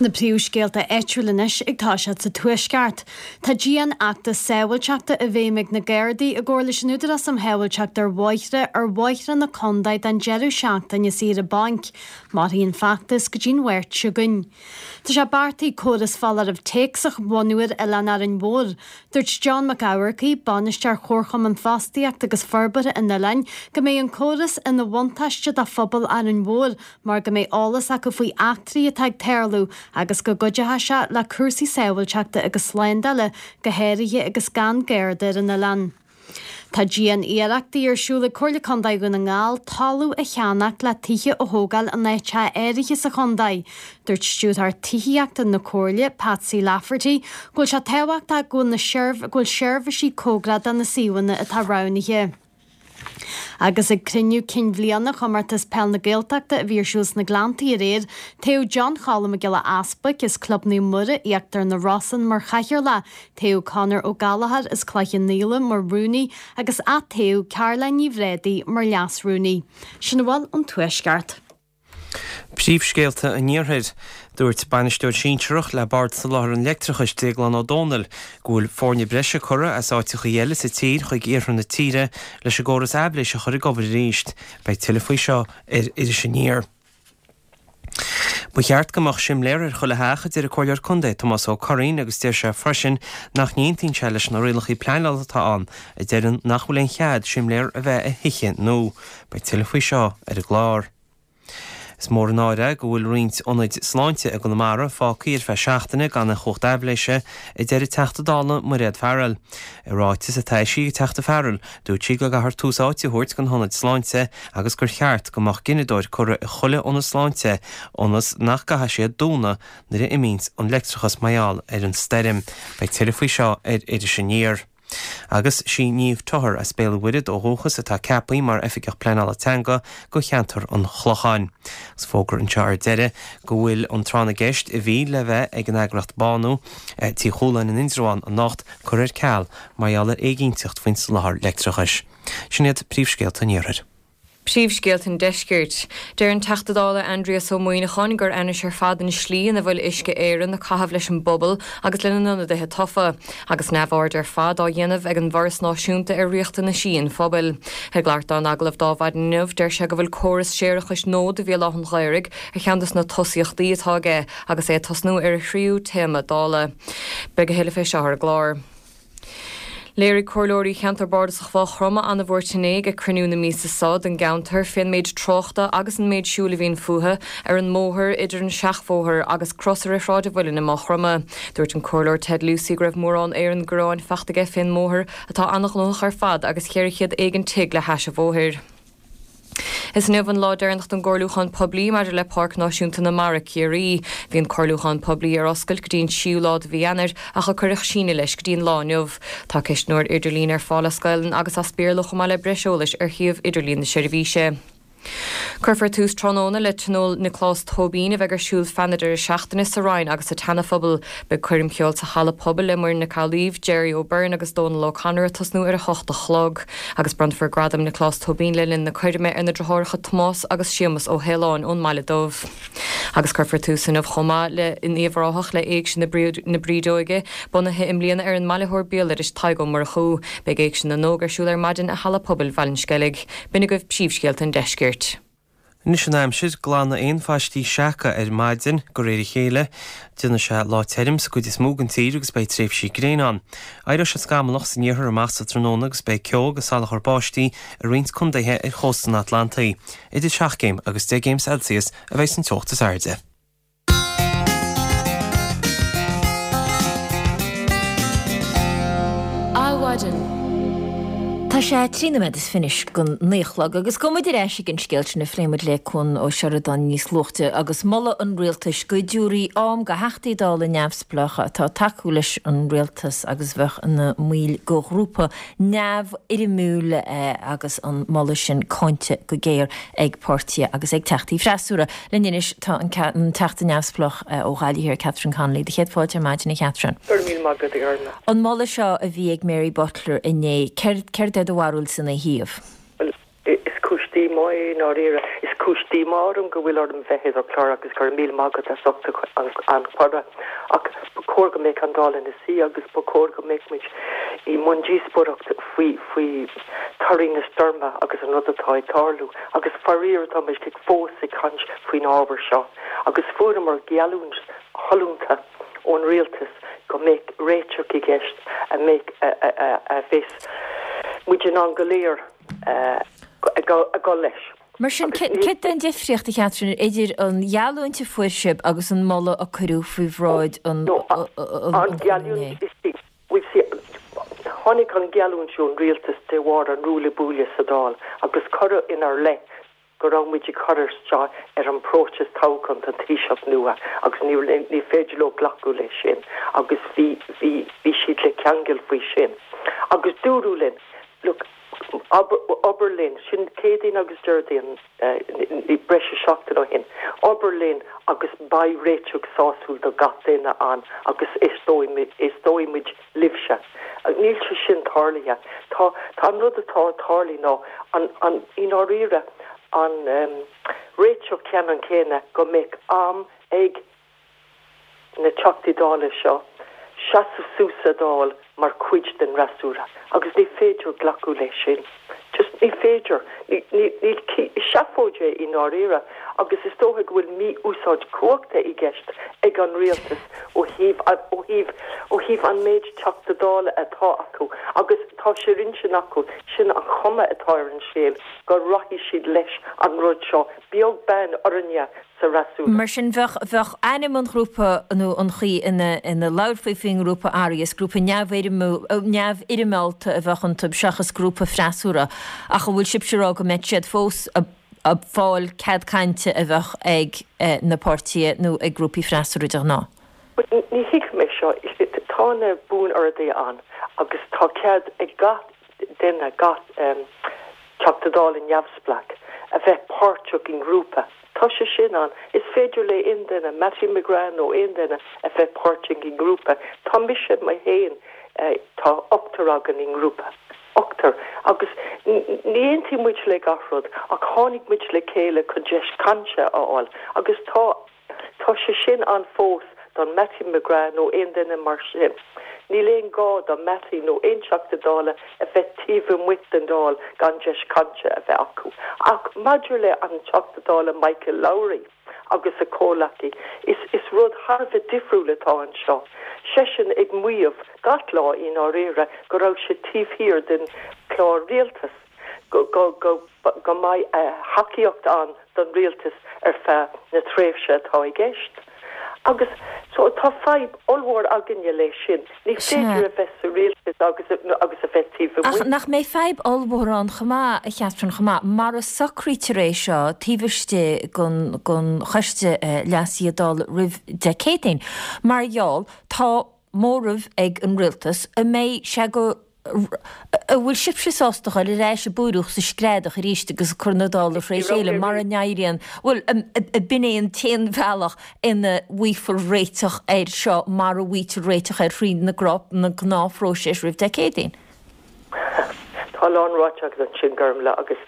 Na príomhscéalta áitiúla anois ag toiseacht sa Tuaisceart. Tá dianfheachtas sábháilteachta i bhfeidhm ag na Gardaí i gcomhar leis an Údarás um Shábháilteacht ar Bhóithre ar bhóithre na contae don deireadh seachtaine saoire bainc. Mairfidh an feachtas go dtí'n Mháirt seo chugainn. Tá sé beartaithe córas foláireamh téacs a bhunú ar Oileán Árainn Mhór. Dúirt John Mac Eamharcaigh, Bainisteoir Chomharchumann Fostaíochta agus Forbartha an Oileáin, go mbeidh an córas ina bhuntáiste do phobal Árainn Mhór mar go mbeidh eolas acu faoi eachtraí atá ag tarlú agus go gcuideoidh sé le cúrsaí sábháilteachta agus slándála, go háirithe agus gan Garda ar an oileán. Tá dian-iarrachtaí ar siúl ag Comhairle Contae Dhún na nGall talamh a cheannach le tithe a thógáil in áiteacha áirithe sa chontae. Dúirt Stiúrthóir Tithíochta na Comhairle, Patsy Lafferty, go bhfuil sé tábhachtach go bhfuil seirbhísí cóngarach do na suíomhanna atá roghnaithe. Agus ag cruinniú cinn bhliana Chomórtas Peil na Gaeltachta a bhí ar siúl sna Gleanntaí aréir, toghadh John Choilm Mac Giolla Easbuic as Club Naomh Muire, Íochtar na Rosann mar chathaoirleach, toghadh Conor Ó Gallchóir as Cloich Cheann Fhaola mar rúnaí agus atoghadh Caroline Ní Bhréadaí mar leas-rúnaí. Sin a bhfuil ón Tuaisceart. Príomhscéalta an Iarthair. Dúirt bainisteoir sinsearach le Bord Soláthair an Leictreachais, Déaglán Ó Dónaill, go bhfuil foirne breise curtha as áiteachaí eile sa tír chuig iarthar na tíre leis an gcóras aibhléise a chur ag obair arís. Beidh tuilleadh faoi seo ar Iris Aniar. Ba cheart go mbeadh simléar ar chuile theach, a deir an Comhairleoir Contae Tomás Ó Curraoin agus deir sé freisin nach n-aontaíonn sé leis na rialacha pleanála atá ann a deireann nach bhfuil aon chead simléar a bheith i thithe nua. Beidh tuilleadh faoi seo ar an gclár. Is mór an náire go bhfuil roinnt ionaid sláinte i gConamara fágtha ar feadh seachtaine gan aon chumhacht aibhléise, a deir an Teachta Dála Mairéad Farrell. I ráiteas atá eisithe ag an Teachta Farrell, dúirt sí go gcaithfear tús áite a thabhairt don hionaid sláinte agus gur cheart go mbeadh gineadóir curtha i chuile ionad sláinte ionas nach gcaithfidh siad dúnadh nuair a imíonns an leictreachas mar gheall ar an stoirm. Beidh tuilleadh faoi seo ar Iris Aniar. Agus sí Niamh Toher as Béal an Mhuirthead ó dhúchas atá ceaptha mar Oifigeach Pleanála Teanga go cheantar an Chlocháin. Agus fógra anseo ar deireadh go bhfuil an tráth na gceist a bhí le bheith ag an eagraíocht Bánú, Tigh Chualáin in Indreabhán anocht curtha ar ceal mar gheall ar éiginnteacht faoin soláthar leictreachais. Sin iad príomhscéalta an Iarthair. Príomhscéalta an Deiscirt. Deir an Teachta Dála Aindrias Ó Muimhneacháin gur ainnis ar fad an slí ina bhfuil Uisce Éireann ag caitheamh leis an bpobal agus lena n-ionadaithe tofa, agus neamhaird ar fad á dhéanamh ag an bhForas Náisiúnta ar riachtanaisí an phobail. Ag labhairt dó in agallamh d'Adhmhaidin inniu, deir sé go bhfuil córas séarachais nua do Bhéal Átha an Ghaorthaidh ar cheann de na tosaíochtaí atá aige agus é ag tosnú ar a thríú téarma Dála. Beidh a thuilleadh fé seo ar an gclár. Léirigh Comhairleoirí Cheantar Bardasach Mhaigh Chromtha an-bhuairt inné ag cruinniú na míosa seo don gceantar fén méid tráchta agus an méid siúil a bhíonn fúthu ar an mbóthar idir an seachbhóthar agus crosaire Shráid an Mhuilinn i Maigh Chromtha. Dúirt an Comhairleoir Ted Lucey go raibh mórán éireann gearáin faighte aige fén mbóthar atá an-ghnóthach ar fad agus cheithre chéad éigin tigh le hais an bhóthair. Is inniu an lá deireanach don gcomhairliúchán poiblí maidir le Páirc Náisiúnta na Mara, Ciarraí. Bhí an comhairliúchán poiblí ar oscailt go dtí an tríú lá de mhí Eanáir ach a cuireadh síneadh leis go dtí an lá inniu. Tá ceistneoir idirlín ar fáil as Gaelainn agus as Béarla chomh maith le breis eolais ar shuíomh idirlín na seirbhíse. Cuirfear tús tráthnóna le Tionól Nioclás Tóibín a bheidh ar siúl feadh na deireadh seachtaine sa Rinn agus sa tSeana-Phobal. Beidh coirm cheoil sa Halla Pobail le Muireann Nic Amhlaoibh, Gerry O'Beirne agus Dónal O'Connor ag tosnú ar a hocht a chlog. Agus bronnfar Gradam Nioclás Tóibín le linn na coirme ar na deartháireacha Tomás agus Séamus Ó hAoláin ón mBaile Dubh. Agus cuirfear tús inniu chomh maith le in Uíbh Ráthach le Éigse na Brídeoige, bunaithe i mbliana ar an mbailitheoir béaloidis Tadhg Ó Murchú. Beidh Éigse na nÓg ar siúl ar maidin i Halla Pobail Bhaile an Sceilg. B'in agaibh príomhscéalta an Deiscirt. Anois an aimsir, glanfaidh aon phaistí seaca ar maidin, de réir a chéile. Déanfaidh sé lá tirim sa gcuid is mó den tír agus beidh tréimhsí gréine ann. Éireoidh sé scamallach san iarthar amach sa tráthnóna agus beidh ceo agus salachar báistí i roinnt contaetha ar chósta an Atlantaigh. Idir seacht gcéim agus deich gcéim Celsius a bheidh san teocht is airde. Adhmhaidin. Tá sé trí nóiméad is fiche don naoi a chlog agus gabhfaidh muid ar ais ag an scéal sin a phléigh muid le Cuan Ó Seireadáin níos luaithe agus moladh an rialtais go dtabharfaí am do Theachtaí Dála neamhspleácha atá ag tacú leis an rialtas agus bheadh ina mbaill de ghrúpa neamhfhoirmiúil agus an moladh sin cáinte go géar ag páirtithe agus ag teachtaí freasúra. Linn anois tá an Teachta neamhspleách ó Ghaillimh Thiar Catherine Connolly. Do chéad fáilte ar maidin a Chatherine. Go raibh míle maith agat a Orla. An moladh seo a bhí ag Mary Butler inné, céard é do bharúilsa ina thaobh? Bhuel, is cúis díomá é i ndáiríre. Is cúis díomá orm go bhfuil orm bheith i do chlár agus go raibh míle maith agat as ucht an chuireadh. Ach ba chóir go mbeadh an Dáil ina suí agus ba chóir go mbeadh muid i mbun díospóireacht faoi faoi torthaí na stoirme agus an rud atá ag tarlú. Agus faraor tá muid fós ag caint faoin ábhar seo. Agus fuaireamar geallúint shollúnta ón rialtas go mbeadh réiteach i gceist a mbeadh a bheas muid in ann go léir a dhul leis. Mar sin, céard é an difríocht, a Chatherine, idir an gheallúint a fuair sibh agus an moladh a cuireadh faoi bhráid an An gheallúint, tháinig an gheallúint ón rialtas de bharr an ruaille buaille sa Dáil agus cuireadh inár leith go raibh muid ag cur isteach ar an bpróiseas toghcháin don Taoiseach nua agus ní ní féidir leo glacadh leis sin agus bhí bhí bhí siad le ceangal faoi sin. Agus dúradh linn, look, obair linn, sin Céadaoin agus Déardaoin breis is seachtain ó shin, obair linn agus beidh réiteach sásúil do gach duine ann agus éisteoidh muid libhse. Níl sé sin tarlaithe. Tá tá an rud atá tarlaithe ná an an i ndáiríre an réiteach ceannann céanna go mbeadh am ag na Teachtaí Dála seo seasamh suas sa Dáil mar chuid den fhreasúra agus ní féidir glacadh leis sin. Just Ní féidir, níl seafóid é i ndáiríre agus is dócha go bhfuil mí-úsáid cumhachta i gceist ag an rialtas ó thaobh ó thaobh ó thaobh an méid Teachta Dála atá acu agus tá sé ar intinn acu, sin an chuma atá ar an scéal, go rachaidh siad leis an rud seo, beag beann orainne sa fhreasúra. Mar sin, bheadh, bheadh ainm an ghrúpa nó an chaoi ina, ina labharfaí faoin ngrúpa athraithe, is grúpa neamhfhoirmeálta a bheadh iontu seachas grúpa freasúra, ach an bhfuil sibhse ag rá go mbeadh siad fós ag fáil cead cainte a bheadh ag na páirtithe nó ag grúpaí freasúra de ghnáth? Ní thuigim é seo. Tá na buan-orduithe ann agus tá cead ag gach duine, gach Teachta Dála neamhspleách, a bheith páirteach i ngrúpa. Tá sé sin ann. Is féidir le aon duine, Mattie McGrath nó aon duine, a bheith páirteach i ngrúpa. Tá mise mé féin, tá ochtar againn i ngrúpa. Ochtar. Agus ní aontaíonn muid le gach rud, ach tháinig muid le chéile chun deis cainte a fháil. Agus tá, tá sé sin ann fós don Mattie McGrath nó aon duine mar sin. Níl aon gá do Mattie nó aon Teachta Dála a bheith taobh amuigh den Dáil gan deis cainte a bheith acu. Ach maidir le an Teachta Dála Michael Lowry agus a chomhleacaí, is is rud thar a bheith difriúil atá anseo. Seisean ag maíomh gach lá i ndáiríre go raibh sé taobh thiar den chlár rialtais, go go go go mbeidh thacaíocht ann don rialtas ar feadh na tréimhse atá i gceist. Agus so tá fadhb ollmhór againne leis sin. Ní féidir a bheith sa rialtas agus agus a bheith taobh Ach amuigh. nach mbeidh fadhb ollmhór ann chomh maith, a Chatherine, chomh maith, mar a socraítear é seo taobh istigh den den choiste leasaithe Dála roimh Dé Céadaoin. Mar gheall, tá móramh ag an rialtas, an mbeidh sé go an bhfuil sibhse sásta dhul ar ais ag búireach is ag screadach arís agus ag cur na Dála fré chéile mara n-éiríonn, bhuel, b'in é an t-aon bhealach ina bhfaighfear réiteach air seo mar a bhfaightear réiteach air thrí na gnáthphróiseas roimh Dé Céadaoin. Tá a lán ráite agat ansin, Gormlaith, agus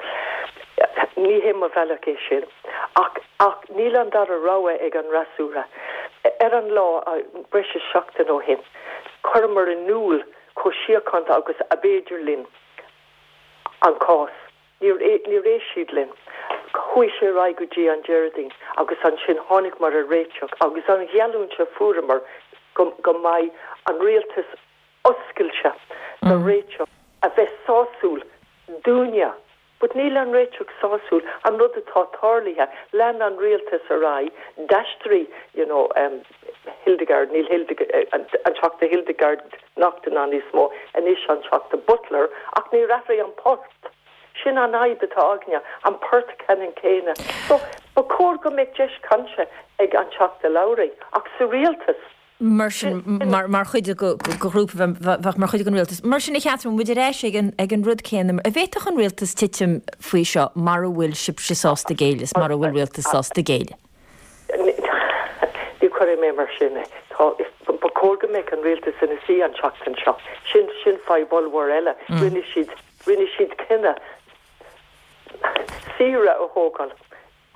ní hé mo bhealach é sin. Ach, ach níl an dara rogha ag an fhreasúra. Ar an lá, breis is seachtain ó shin, chuireamar in iúl chomh síochánta agus ab fhéidir linn an cás. Níor níor éist siad linn. Chuaigh sé ar aghaidh go dtí an Déardaoin agus ansin tháinig-mar ar réiteach agus an gheallúint a fuaireamar go go mbeidh an rialtas oscailte do réiteach a bheith sásúil dúinne. But níl an réiteach sásúil, an rud atá tarlaithe, lean an rialtas ar aghaidh, d'aistrigh you know, um, Hildegarde, níl Hildegarde, an, an Teachta Hildegarde Naughton ann níos mó, anois an Teachta Butler, ach níor athraigh an port. Sin an fhadhb atá againne, an port ceannann céanna. So, ba chóir go mbeadh deis cainte ag an Teachta Lowry, ach sa rialtas. Mar sin, mar, mar chuid de ghrúpa bheadh mar chuid den rialtas. Mar sin a Chatherine, muid ar ais ag an, ag an rud céanna, an bhféadfadh an rialtas titim faoi seo mara bhfuil sibhse sásta géilleadh, mara bhfuil rialtas sásta géilleadh. Ní chuirfidh mé mar sin é. Tá ba chóir go mbeadh an rialtas ina suí an tseachtain seo. Sin sin fadhb ollmhór eile. Rinne siad rinne siad cinneadh saoire a thógáil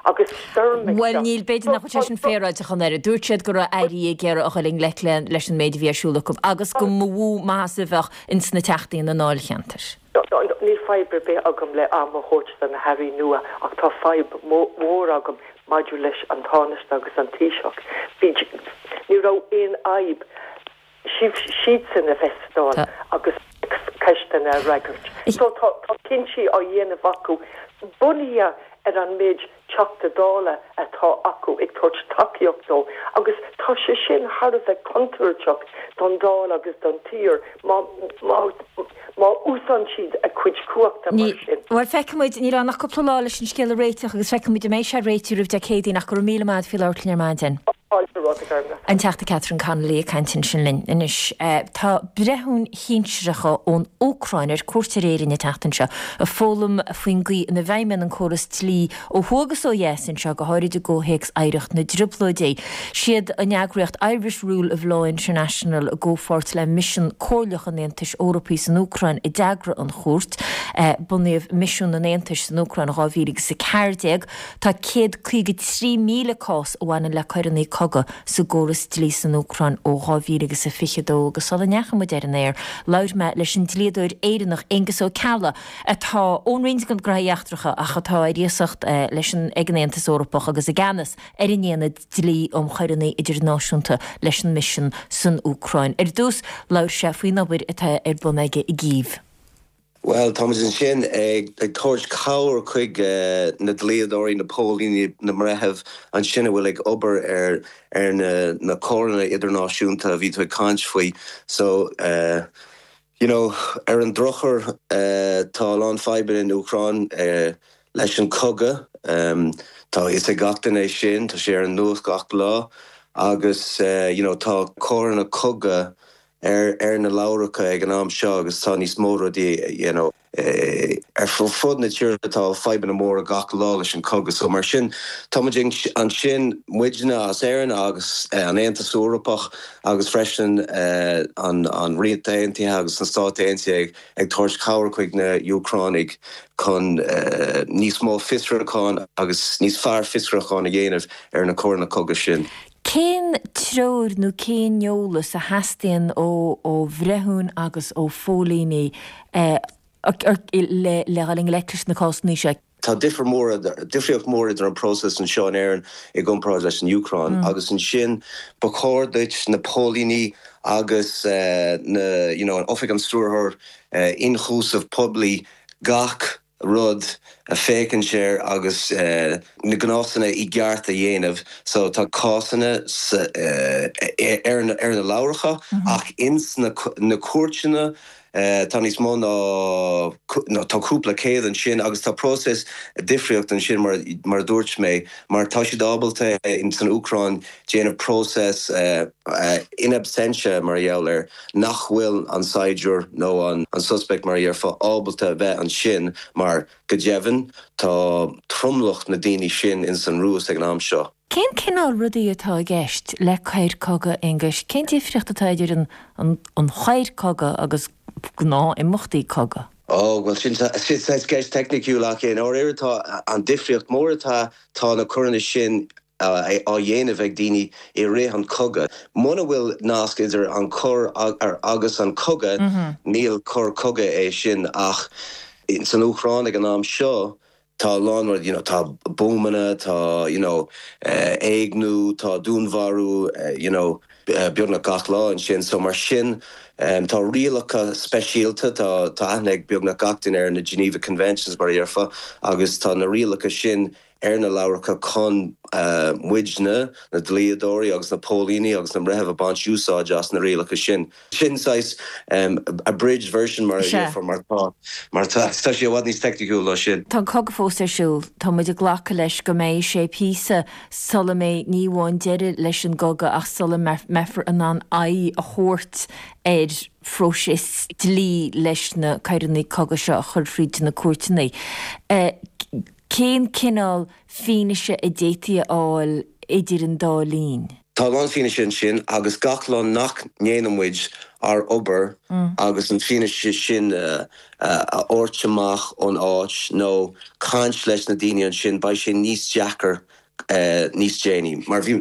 agus stoirm Bhuel níl b'fhéidir nach bhfuil sé sin féaráilte chun air. Dúirt siad go raibh airí ag iarraidh a dhul i ngleic le leis an méid a bhí ar siúl acu agus go mba mhó maitheas a bheadh ins na teachtaí na ndáilcheantar. Níl fadhb ar bith agam le am a thabhairt do na hairí nua ach tá fadhb mhór agam maidir leis an Tánaiste agus an Taoiseach. Bhí ní raibh aon fhadhb siadsan a bheith sa Dáil agus ceisteanna a fhreagairt. So tá tá cinntí á dhéanamh acu bunaithe ar an méid Teachta Dála atá acu ag tabhairt tacaíocht dó agus tá sé sin thar a bheith contúirteach don Dáil agus don tír má má má úsáideann siad a cuid cumhachta mar sin. Bhuel feicfimid níl ann ach cúpla lá leis an scéal a réiteach agus feicfimid an mbeidh sé réitithe roimh Dé Céadaoin ach go raibh míle maith agat faoi labhairt linn ar maidin. An Teachta Catherine Connolly ag caint ansin linn anois. Tá breithiúin shinsearacha ón Úcráin ar cuairt ar Éirinn an tseachtain seo ag foghlaim faoin gcaoi ina bhfeidhmíonn an córas dlí ó thuaidh agus ó dheas anseo go háirid i gcomhthéacs oidhreacht na dTrioblóidí. Siad an eagraíocht Irish Rule of Law International i gcomhpháirt le misean comhairleach an Aontais Eorpaigh san Úcráin a d'eagraigh an chuairt. Bunaíodh misiún an Aontais san Úcráin dhá mhíle agus a ceathair déag. Tá céad caoga trí míle cás a bhaineann le coireanna cogaidh sa gcóras dlí san Úcráin ó dhá mhíle agus a fiche dó agus sula ndeachaigh muid ar an aer, labhair mé leis an dlíodóir Éireannach Aengus Ó Ceallaigh atá ón Roinn Gnóthaí Eachtracha ach atá ar iasacht leis an ag an Aontas Eorpach agus i gceannas ar an Aonad Dlí um Choireanna Idirnáisiúnta leis an Misean san Úcráin. Ar dtús, labhair sé faoin obair atá ar bun aige i gCív. Bhuel, táimid ansin ag ag tabhairt cabhair chuig na dlíodóirí, na póilíní, na mbreitheamh ansin a bhfuil ag obair ar ar na na coireanna idirnáisiúnta a bhí tú ag caint faoi. So, you know, ar an drochuair tá a lán fadhbanna in Úcráin leis an cogadh. Tá a fhios ag gach duine é sin, tá sé ar an nuacht gach lá agus you know tá coireanna cogaidh ar ar na leabhracha ag an am seo agus tá níos mó rudaí you know ar fud na tíre tá fadhbanna móra gach lá leis an cogadh so mar sin tá muid ansin muidne as Éirinn agus an Aontas Eorpach agus freisin an an Ríocht Aontaithe agus na Stáit Aontaithe ag tabhairt cabhair chuig na Úcránaigh chun níos mó fiosrúchán agus níos fearr fiosrúchán a dhéanamh ar na coireanna cogaidh sin. Cén treoir nó cén eolas a theastaíonn ó ó bhreithiúin agus ó phóilíní le le dhul i ngleic leis na cásanna seo? Tá difear mór difríocht mór idir an próiseas anseo in Éirinn i gcomparáid leis an Úcráin agus ansin ba chóir duit na póilíní agus na you know an Oifig an Stiúrthóir Ionchúiseamh Poiblí gach rud a féachaint air agus na gnásanna i gceart a dhéanamh so tá cásanna ar ar na leabhracha ach ins na na cúirteanna tá níos mó ná tá cúpla céad ansin agus tá próiseas difríocht ansin mar mar a dúirt mé mar tá siad ábalta in san Úcráin déanamh próiseas in absentia mar gheall air nach bhfuil an saighdiúir nó an an suspect mar a déarfá ábalta bheith ansin mar go deimhin tá tromlach na daoine sin in san Rúis ag an am seo. Cén cineál rudaí atá i gceist le coir cogaidh, Aengus? Cén difríocht atá idir an an an choir cogaidh agus gnáth-imeachtaí cogaidh? Ó, bhuel sin sin ceist teicniúil ach i ndáiríre tá an difríocht mór atá tá na coireanna sin á dhéanamh ag daoine i rith an cogadh. Muna bhfuil nasc idir an coir agus an cogadh, níl coir cogaidh é sin ach san Úcráin ag an am seo, tá a lán rud, you know, tá bumanna, tá you know, éigniú, tá dúnmharú, you know, beagnach gach lá ansin, so mar sin um, tá rialacha speisialta, tá tá aithne ag beagnach gach duine ar na Geneva Conventions mar a déarfá agus tá na rialacha sin ar na leabhracha chun uh, muidne, na dlíodóirí agus na póilíní agus na breithimh a baint úsáid as na rialacha sin. Sin saghas um, abridged version mar a mar tá mar tá tá sé i bhfad níos teicniúla ná sin. Tá cogadh fós ar siúl, Tá muid ag glacadh leis go mbeidh sé píosa sula mbeidh ní amháin deireadh leis an gcogadh ach sula mbeifear in ann aghaidh a thabhairt ar phróiseas dlí leis na coireanna cogaidh seo a chur fríd na cúirteanna. Uh, cén cineál fianaise a d'fhéadfaí a fháil idir an dá linn? Tá an fianaise ansin agus gach lá nach ndéanann muid ár obair agus an fianaise sin uh, uh, a thabhairt amach ón áit nó caint leis na daoine ansin beidh sé níos deacair uh, níos déanaí. Mar bhí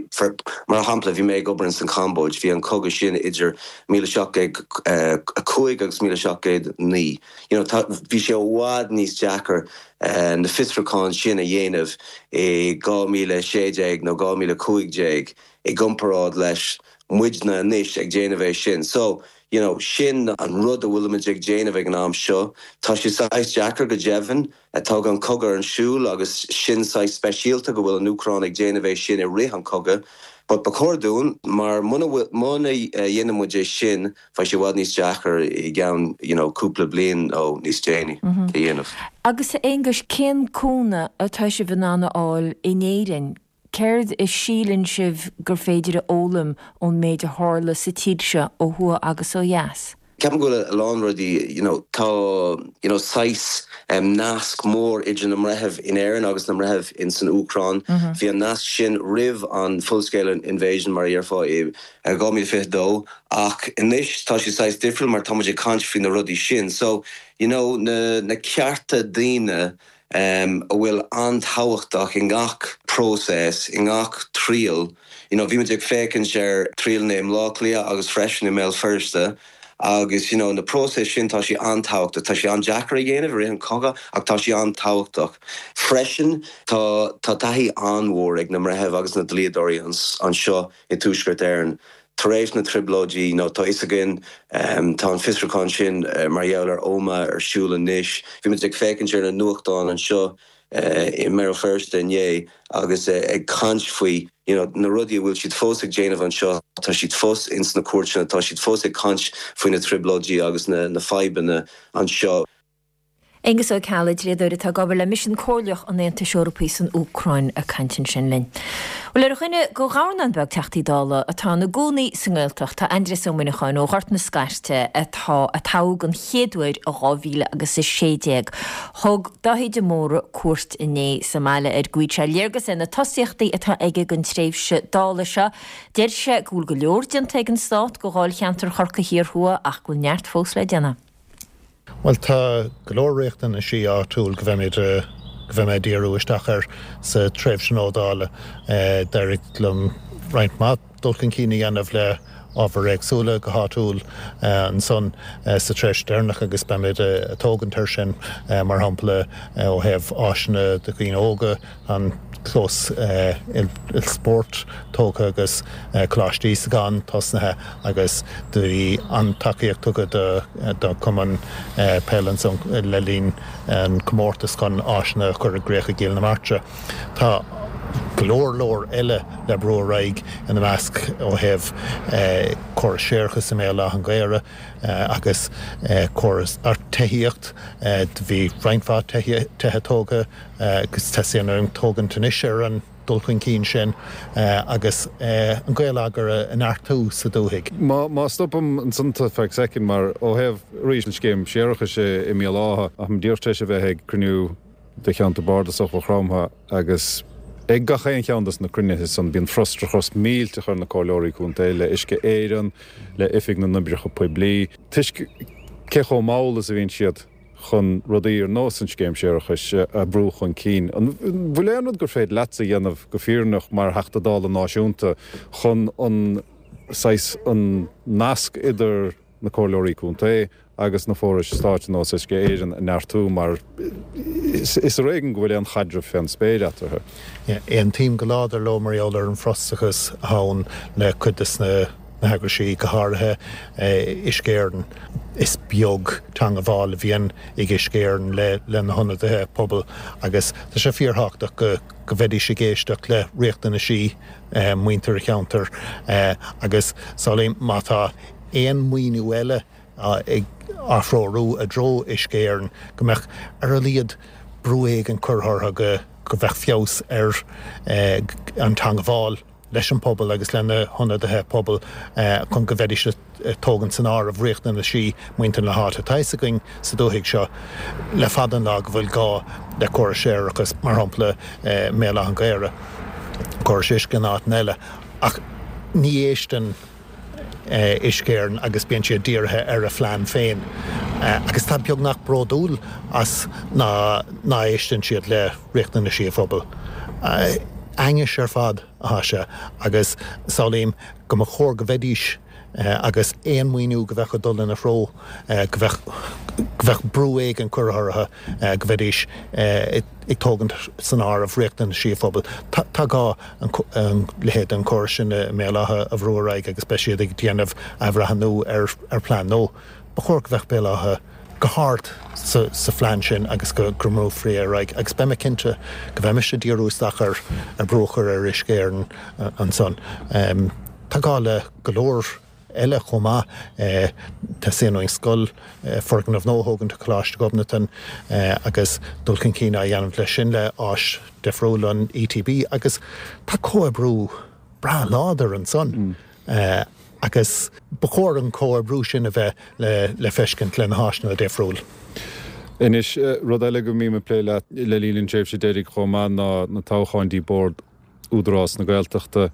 mar shampla bhí mé ag obair san Cambóid, bhí an cogadh sin idir míle seacht gcéad a cúig agus míle seacht gcéad naoi. You know, bhí sé i bhfad níos deacair uh, na fiosrúcháin sin a dhéanamh i dhá míle sé déag nó dhá míle cúig déag i gcomparáid leis muidne anois ag déanamh é sin. So, you know, sin an rud a bhfuilimid ag déanamh ag an am seo, Tá sé saghas deacair go deimhin atá an cogadh ar siúl agus sin saghas speisialta go bhfuil an Úcráin ag déanamh é sin i rith an cogadh. But ba chóir dúinn mar muna dhéanann muid é sin beidh sé i bhfad níos deacair i gceann you know, cúpla bliain ó níos déanaí mm -hmm. a dhéanamh. Agus Aengus cén cúnamh atá sibh in ann a fháil in Éirinn Céard a síleann sibh gur féidir a fhoghlaim ón méid a tharla sa tír seo ó thuaidh agus ó dheas? Ceapaim go bhfuil a lán rudaí you know, tá you know, saghas um, nasc mór idir na mbreitheamh in Éirinn agus na mbreitheamh in san Úcráin. Mm -hmm. Bhí an nasc sin roimh an full-scale invasion mar a déarfá i dhá míle fiche dó ach anois tá sé saghas difriúil mar tá ag caint faoi na rudaí sin. So you know, na, na cearta daoine um, a bhfuil an-tábhachtach i ngach próiseas, i ngach triail, You know, bhí muid ag féachaint ar triaileanna i mBleá Cliath agus freisin i mBéal Feirste. Agus you know, na próisis sin tá sé an-tábhachtach, tá sé an-deacair a dhéanamh i rith an chogaidh ach tá sé an-tábhachtach. Freisin tá tá taithí an-mhór ag na mbreitheamh agus na dlíodóirí anseo i Tuaisceart Éireann. Tar éis na trioblóidí nó tá fhios againn um, tá an fiosrúchán sin uh, mar gheall ar Omagh ar siúl anois. Bhí muid ag féachaint ar na nuachtáin anseo uh, i mBéal Feirste inné agus uh, ag caint faoi you know, na rudaí a bhfuil siad fós ag déanamh anseo tá siad fós ins na cúirteanna tá siad fós ag caint faoi na trioblóidí agus na, na fadhbanna anseo. Aengus Ó Ceallaigh dlíodóir atá ag obair le Misean Comhairleach an Aontais Eorpaigh san Úcráin ag caint ansin linn. Well ar dhuine de dhornán beag Teachtaí Dála atá ina gcónaí sa nGaeltacht tá Aindrias Ó Muineacháin ó Ghort na Scairte atá a toghadh an chéad uair i dhá mhíle agus a sé déag. Thug Dáithí de Mórdha cuairt inné sa mbaile air go bhfaigheadh sé léargas ar na tosaíochtaí atá aige don tréimhse Dála seo. Deir sé go bhfuil go leor déanta ag an stát do dháilcheantar Chorcaí Thiar Thuaidh ach go bhfuil neart fós le déanamh. Bhuel tá go leor riachtanaisí áitiúil go bheimid go bheidh mé ag díriú isteach air sa tréimhse nua Dála. D'éirigh liom roinnt mhaith dul chun cinn a dhéanamh le ábhair éagsúla go háitiúil ansan sa tréimhse deireanach agus beimid ag tógaint air sin, mar shampla ó thaobh áiseanna do dhaoine óga, an clós ilspóirt tógtha agus Coláiste Íosagáin tosnaithe agus do bhí an-tacaíocht tugtha do chumann peile ansan le linn an comórtas chun áiseanna a chur i gcrích i gCill na Martra. Tá go leor leor eile le brú ar aghaidh ina measc ó thaobh córas séarachais i mBéal Átha an Ghaorthaidh agus córas tithíocht. Do bhí roinnt mhaith tithe tógtha agus teastaíonn uainn tógaint anois ar an dul chun cinn sin agus an Gaeleagar a neartú sa dúthaigh. Má stopaim ansan tú feadh soicind mar ó thaobh arís an scéim séarachais i mBéal Átha, táim díreach tar éis a bheith ag cruinniú de cheantar bardasach Mhaigh Chromtha agus ag gach aon cheann des na cruinnithe san bíonn frustrachas millteach ar na comhairleoirí contae le Uisce Éireann, le Oifig na nOibreacha Poiblí, toisc cé chomh mall is a bhíonn siad chun rudaí ar nós an scéim séarachais a bhrú chun cinn. An bhfuil aon rud gur féidir leatsa a dhéanamh go fírinneach mar Theachta Dála náisiúnta chun an saghas an nasc idir na comhairleoirí contae agus na forais stáit ar nós Uisce Éireann a neartú mar is ar éigean go bhfuil aon chaidreamh fén spéir eatarthu. Aontaím go láidir leo mar gheall ar an bhfrustrachas atá ann le cuid de na heagraisí, go háirithe Uisce Éireann. Is beag teangabháil a bhíonn ag Uisce Éireann le na hionadaithe pobail agus tá sé fíorthábhachtach go go mbeidís ag éisteacht le riachtanaisí muintir an cheantair agus samhlaím má tá aon mhaoiniú eile ag á threorú i dtreo Uisce Éireann, go mbeadh ar a laghad brú éigin curtha orthu go go mbeadh feabhas ar an teangabháil leis an pobal agus lena hionadaithe pobail chun go mbeidís ag tógaint san áireamh riachtanaisí muintir na háite. Tá fhios againn sa dúthaigh seo le fada an lá go bhfuil gá le córas séarachais, mar shampla i mBéal Átha an Ghaorthaidh, córas uisce in áiteanna eile, ach ní éisteann Uisce Éireann agus bíonn siad dírithe ar a phlean féin agus tá beagnach bródúil as ná ná éisteann siad le riachtanaisí an phobail. Ainnis ar fad atá sé agus samhlaím go mba chóir go mbeidís agus aon mhaoiniú go bheadh ag dul ina threo go bheadh go bheadh brú éigin curtha orthu go mbeidís ag tógaint san áireamh riachtanaisí an phobail. Tá gá an leithéid den chóras sin i mBéal Átha a bhrú ar aghaidh agus beidh siad ag déanamh athbhreithniú ar ar phlean nua. Ba chóir go mbeadh Béal Átha go hard sa sa phlean sin agus go go mbrúfaí ar aghaidh agus beidh mé cinnte go mbeidh mise ag díriú isteach ar ar brú a chur ar Uisce Éireann ansan. Tá gá le go leor eile chomh maith. Teastaíonn uainn scoil, foirgneamh nua a thógaint do Choláiste Ghobnatan agus dul chun cinn á dhéanamh leis sin le áis difriúil an ETB agus tá comhoibriú breá láidir ansan agus ba chóir an comhoibriú sin a bheith le feiscint le na háiseanna difriúil. Anois, rud eile go mbím ag plé leat le linn an tréimhse deiridh chomh maith ná na toghcháin dtí Bord Údarás na Gaeltachta.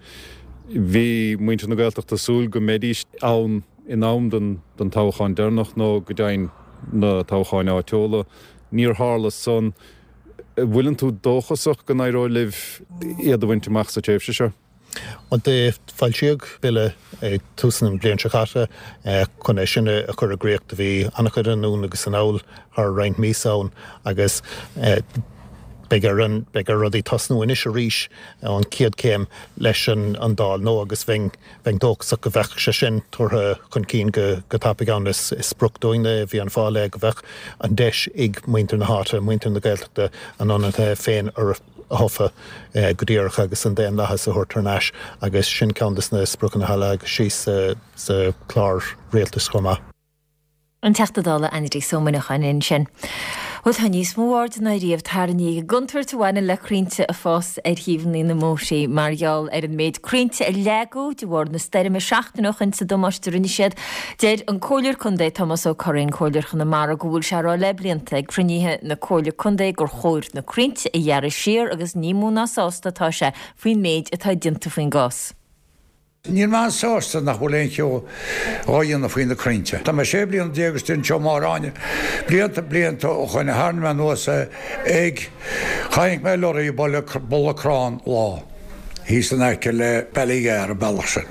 Bhí muintir na Gaeltachta ag súil go mbeidís ann in am don don toghchán deireanach nó go deimhin na toghcháin áitiúla. Níor tharla san. Bhfuileann tú dóchasach go n-éireoidh libh iad a bhaint amach sa tréimhse seo? Bhuel, do foilsíodh bille ag tús na bliana seo caite chun é sin a chur i gcrích. Do bhí an-chuid anonn agus anall thar roinnt míosa ann agus beidh ar an beidh ar rudaí tosnú anois arís ón chéad chéim leis an an Dáil nua agus bheinn bheinn dóchasach go bheadh sé sin tabhartha chun cinn go go tapaidh ann. Is is sprioc dúinne i bhFianna Fáil é go bheadh an deis ag muintir na háite, muintir na Gaeltachta a n-ionadaithe féin a thoghadh go díreach agus an daonlathas a thabhairt thar n-ais agus sin ceann de na spriocanna a leagadh síos sa chlár rialtais chomh maith. An Teachta Dála Aindrias Ó Muineacháin ansin. Bhuel tá níos mó airde ná riamh tarraingthe ar an gcontúirt a bhaineann le crainnte ag fás ar thaobhanna na mbóithre mar gheall ar an méid crainnte a leagadh de bharr na stoirme seachtain ó shin is an damáiste a rinne siad. Deir an Comhairleoir Contae Tomás Ó Curraoin, Comhairleoir Chonamara, go bhfuil sé á rá le blianta ag cruinnithe na Comhairle Contae gur chóir na crainnte a ghearradh siar agus ní mó ná sásta atá sé faoin méid atá déanta faoin gcás. Níl mé an-sásta nach bhfuil aon cheo á dhéanamh faoi na crainnte. Tá mé sé bliana déag istigh anseo Máire Áine, blianta blianta ó shoin a tharraing mé anuas é ag, chonaic mé lorry ag bualadh crann lá thíos in aice le Ballygar, an bealach sin,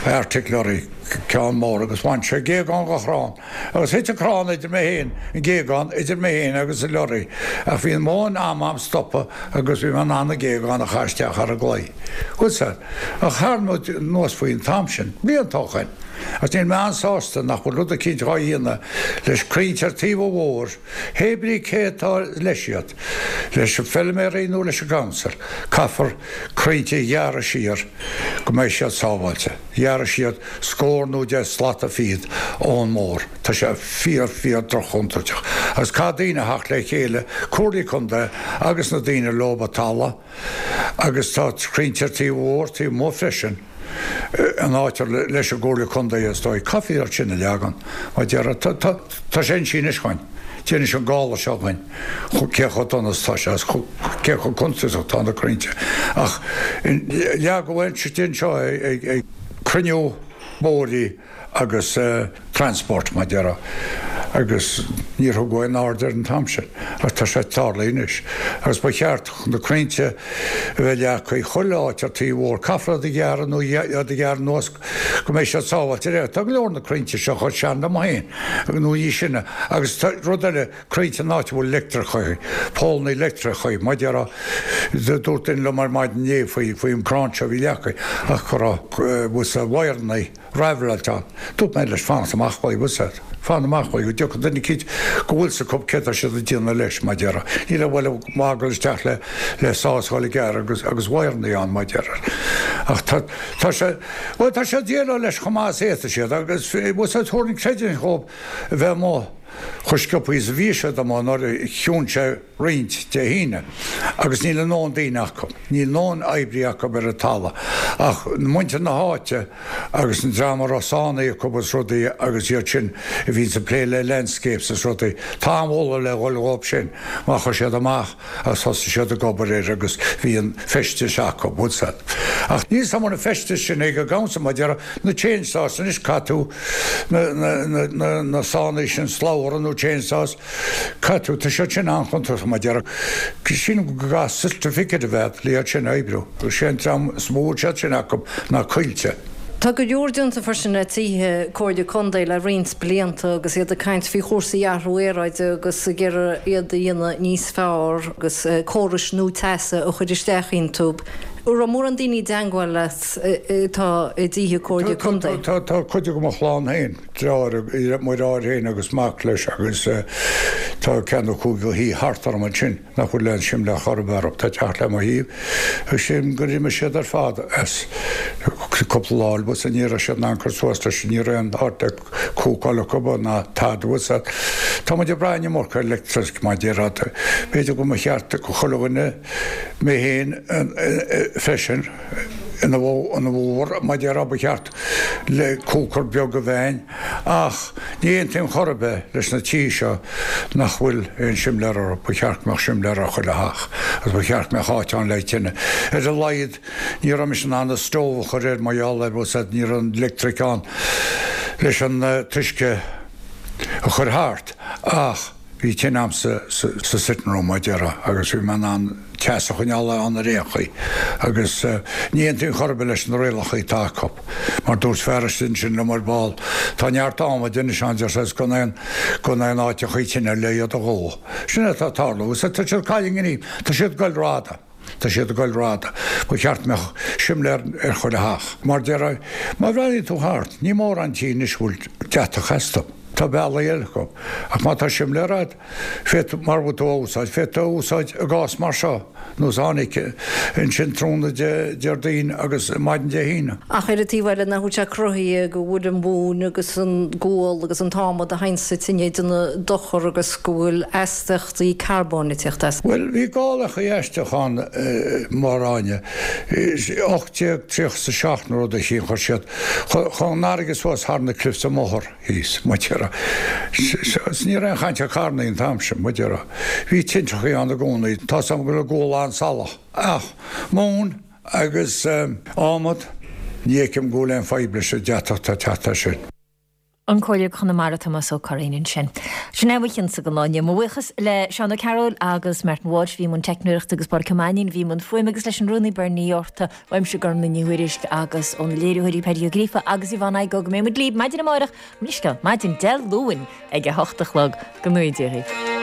Arctic lorry, ceann mór agus bhain sé géagán de chrann agus thit an crann idir mé féin, an géagán idir mé féin agus an lorry ach bhí ndóthain ama a'm stopadh agus bhí mé in ann an géagán a chaitheamh isteach thar an gclaí. Bhuel sea, ach tharraing muid anuas faoi an t-am sin, blianta ó shoin, agus níl mé an-sásta nach bhfuil rud eicínt dhá dhéanamh leis crainnte ar taobh an bhóthair, hé brí cé atá leis iad, leis na feilméaraí nó leis an gcouncil, caithfear crainnte a ghearradh siar go mbeidh siad sábháilte, ghearradh siar scór nó deich slata fichead ón mbóthar. Tá sé fíor, fíor droch-chontúirteach. Agus caithfidh daoine a theacht le chéile, comhairlí contae agus na daoine leob an talamh, agus tá crainnte ar taobh an bhóthair, taobh amuigh freisin, an áit ar leis an gcomhairle contae is dóigh. Caithfear iad sin a leagan, mar déarfá. Tá, tá sé inste anois dhuinn. D'inis an gála seo dhuinn cé chomh dona is atá sé agus cé chomh contúirteach atá na crainnte. Ach leagadh anseo ag cruinniú bóithre agus transport, mar déarfá, agus níor thugadh aon aird air an t-am sin. Ach tá sé tarlaithe anois. Agus ba cheart na crainnte a bheith leagtha chuile áit ar taobh an bhóthair. Caithfear iad a ghearradh nó iad a ghearradh anuas go mbeidh siad sábháilte. Tá go leor na crainnte seo chomh sean liom féin nó níos sine. Agus tá rud eile, crainnte in áit a bhfuil leictreachas, pólannaí leictreachais, mar déarfá, dúirt duine liom ar maidin inné faoi faoin gcrann seo a bhí leagtha ach go raibh wire-annaí raibhreáilte ann. Dúirt mé leis fanacht amach uaidh, bhfuil 's a'd, fan amach uaidh go dtiocfaidh duine eicínt go bhfuil 's acu céard tá siad ag déanamh leis, mar déarfá. Níl aon bhaile maith ag dul isteach le le sás a dhul ag gearradh agus agus wire-annaí ann, mar déarfá. Ach tá tá sé, bhuel tá siad ag déileáil leis chomh maith is a fhéadfaidh siad agus bhfuil 's a'd thabharfainn creidiúint dhóibh a bheith amuigh chomh sciobtha is a bhí siad amuigh nuair a chiúin sé roinnt Dé hAoine agus níl a ndóthain daoine acu, níl a ndóthain oibrí acu ar an talamh ach muintir na háite agus an dream a raibh sánnaí acu is rudaí agus iad sin a bhíonns ag plé le landscapes is rudaí. Tá an-mholadh le dhul dhóibh sin mar chuaigh siad amach agus thosaigh siad ag obair air agus bhí an feisteas acu, bhfuil 's a'd. Ach níl 's a'm an bhfuil an feisteas sin ag an gcouncil mar déarfá na chainsaws anois caithfidh tú na na na na na sánnaí sin slabhra nó chainsaws caithfidh tú tá siad sin an-chontúirteach mar déarfá sílim go gcaithfidh certificate a bheith le iad sin a oibriú agus sé an dream is mó a bhfuil siad sin acu ná Coillte. Tá go leor déanta freisin le tithe Comhairle Contae le roinnt blianta agus iad ag caint faoi chúrsaí athrú aeráide agus ag iarraidh iad a dhéanamh níos fearr agus córais nua teasa a chur isteach iontu. An raibh mórán daoine i dteangmháil leat atá i dtithe Comhairle Contae? Tá, tá cuid de mo chlann féin, deartháir, mo dheartháir féin agus mac leis agus tá ceann nó cúig de thithe thart orm ansin nach bhfuil aon simléar chor ar bith orthu. Tá teach le mo thaobh agus sílim gur imigh siad ar fad as cúpla lá bhfuil 's a'd ní raibh siad in ann cur suas leis, ní raibh aon áit le cúcáil acu ná tada bhfuil 's a'd. Tá muid ag brath an iomarca ar leictreachas mar déarfá. B'fhéidir go mba cheart do chuile dhuine, mé féin freisin, ina bhfabhar mar déarfá ba cheart le cooker beag a bheith a'inn ach ní aontaím chor ar bith leis na tithe seo nach bhfuil aon simléar orthu. Ba cheart go mbeadh simléar ar chuile theach agus ba cheart go mbeadh áit ann le tine. Ar a laghad ní raibh mise in ann an stove a chur air mar gheall ar bhfuil 's a'd ní raibh an leictric ann leis an t-uisce a chur thart ach Bhí tine a'm sa sa sitting room mar a déarfá agus bhí mé in ann teas a choinneáil ann ar aon chaoi agus ní aontaím chor ar bith leis na rialacha atá acu. Mar dúirt fear istigh ansin liom ar ball, tá neart adhmaid anois ann deir sé is gan aon gan aon áiteachaí tine le iad a dhó. Sin é atá ag tarlú agus tá siad ag cailleadh an ghnímh, tá siad ag goil rófhada. Tá siad ag goil rófhada. Ba cheart go mbeadh simléar ar chuile theach. Mar déarfá, má bhreathnaíonn tú thart, ní mórán tí anois a bhfuil deatach astu. Tá bealaí eile acu. Ach má tá simléar agat, féadfaidh, mara bhfuil tú á úsáid, féadfaidh tú a úsáid i gcás mar seo, nós a tháinig ansin tráthnóna Déardaoin agus maidin Dé hAoine. Ach ar an taobh eile, nach bhfuil sé cruthaithe go bhfuil an mhóin agus an gual agus an t-adhmad a théann sa tine ag déanamh dochar agus go bhfuil astaíochtaí carbóin ag teacht as. Bhuel, bhí gálachaí aisteach ann, mar Áine, ocht déag tríocha is a seacht nó rud eicínt, chuir siad chun an fharraige suas thar na cliffs an mbóthar thíos, mar a déarfá. Is ní raibh aon chaint ar carrannaí an t-am sin, mar a déarfá. Bhí tintreachaí ann i gcónaí, tá's agam go raibh gual an-salach. Ach móin agus adhmad, ní fheicim go bhfuil aon fadhb leis an deatach atá ag teacht as sin. An Comhairleoir Chonamara Tomás Ó Curraoin ansin. Sin é mo chinnse don lá inniu. Mo bhuíochas le Seán Ó Cearúil agus Martin Walsh a bhí i mbun teicneoireachta agus Pádraic Ó Mainnín a bhí i mbun fuaime agus leis an rúnaí Bernie Ní Fhátharta, uaimse Gormlaith Ní Thuairisg agus ó na léiritheoirí Paddy Ó Gríofa agus Yvonne Igoe go mbeidh muid libh maidin amárach, mo leithscéal, maidin Dé Luain ag a hocht a chlog. Go ngnóthaí Dia dhaoibh.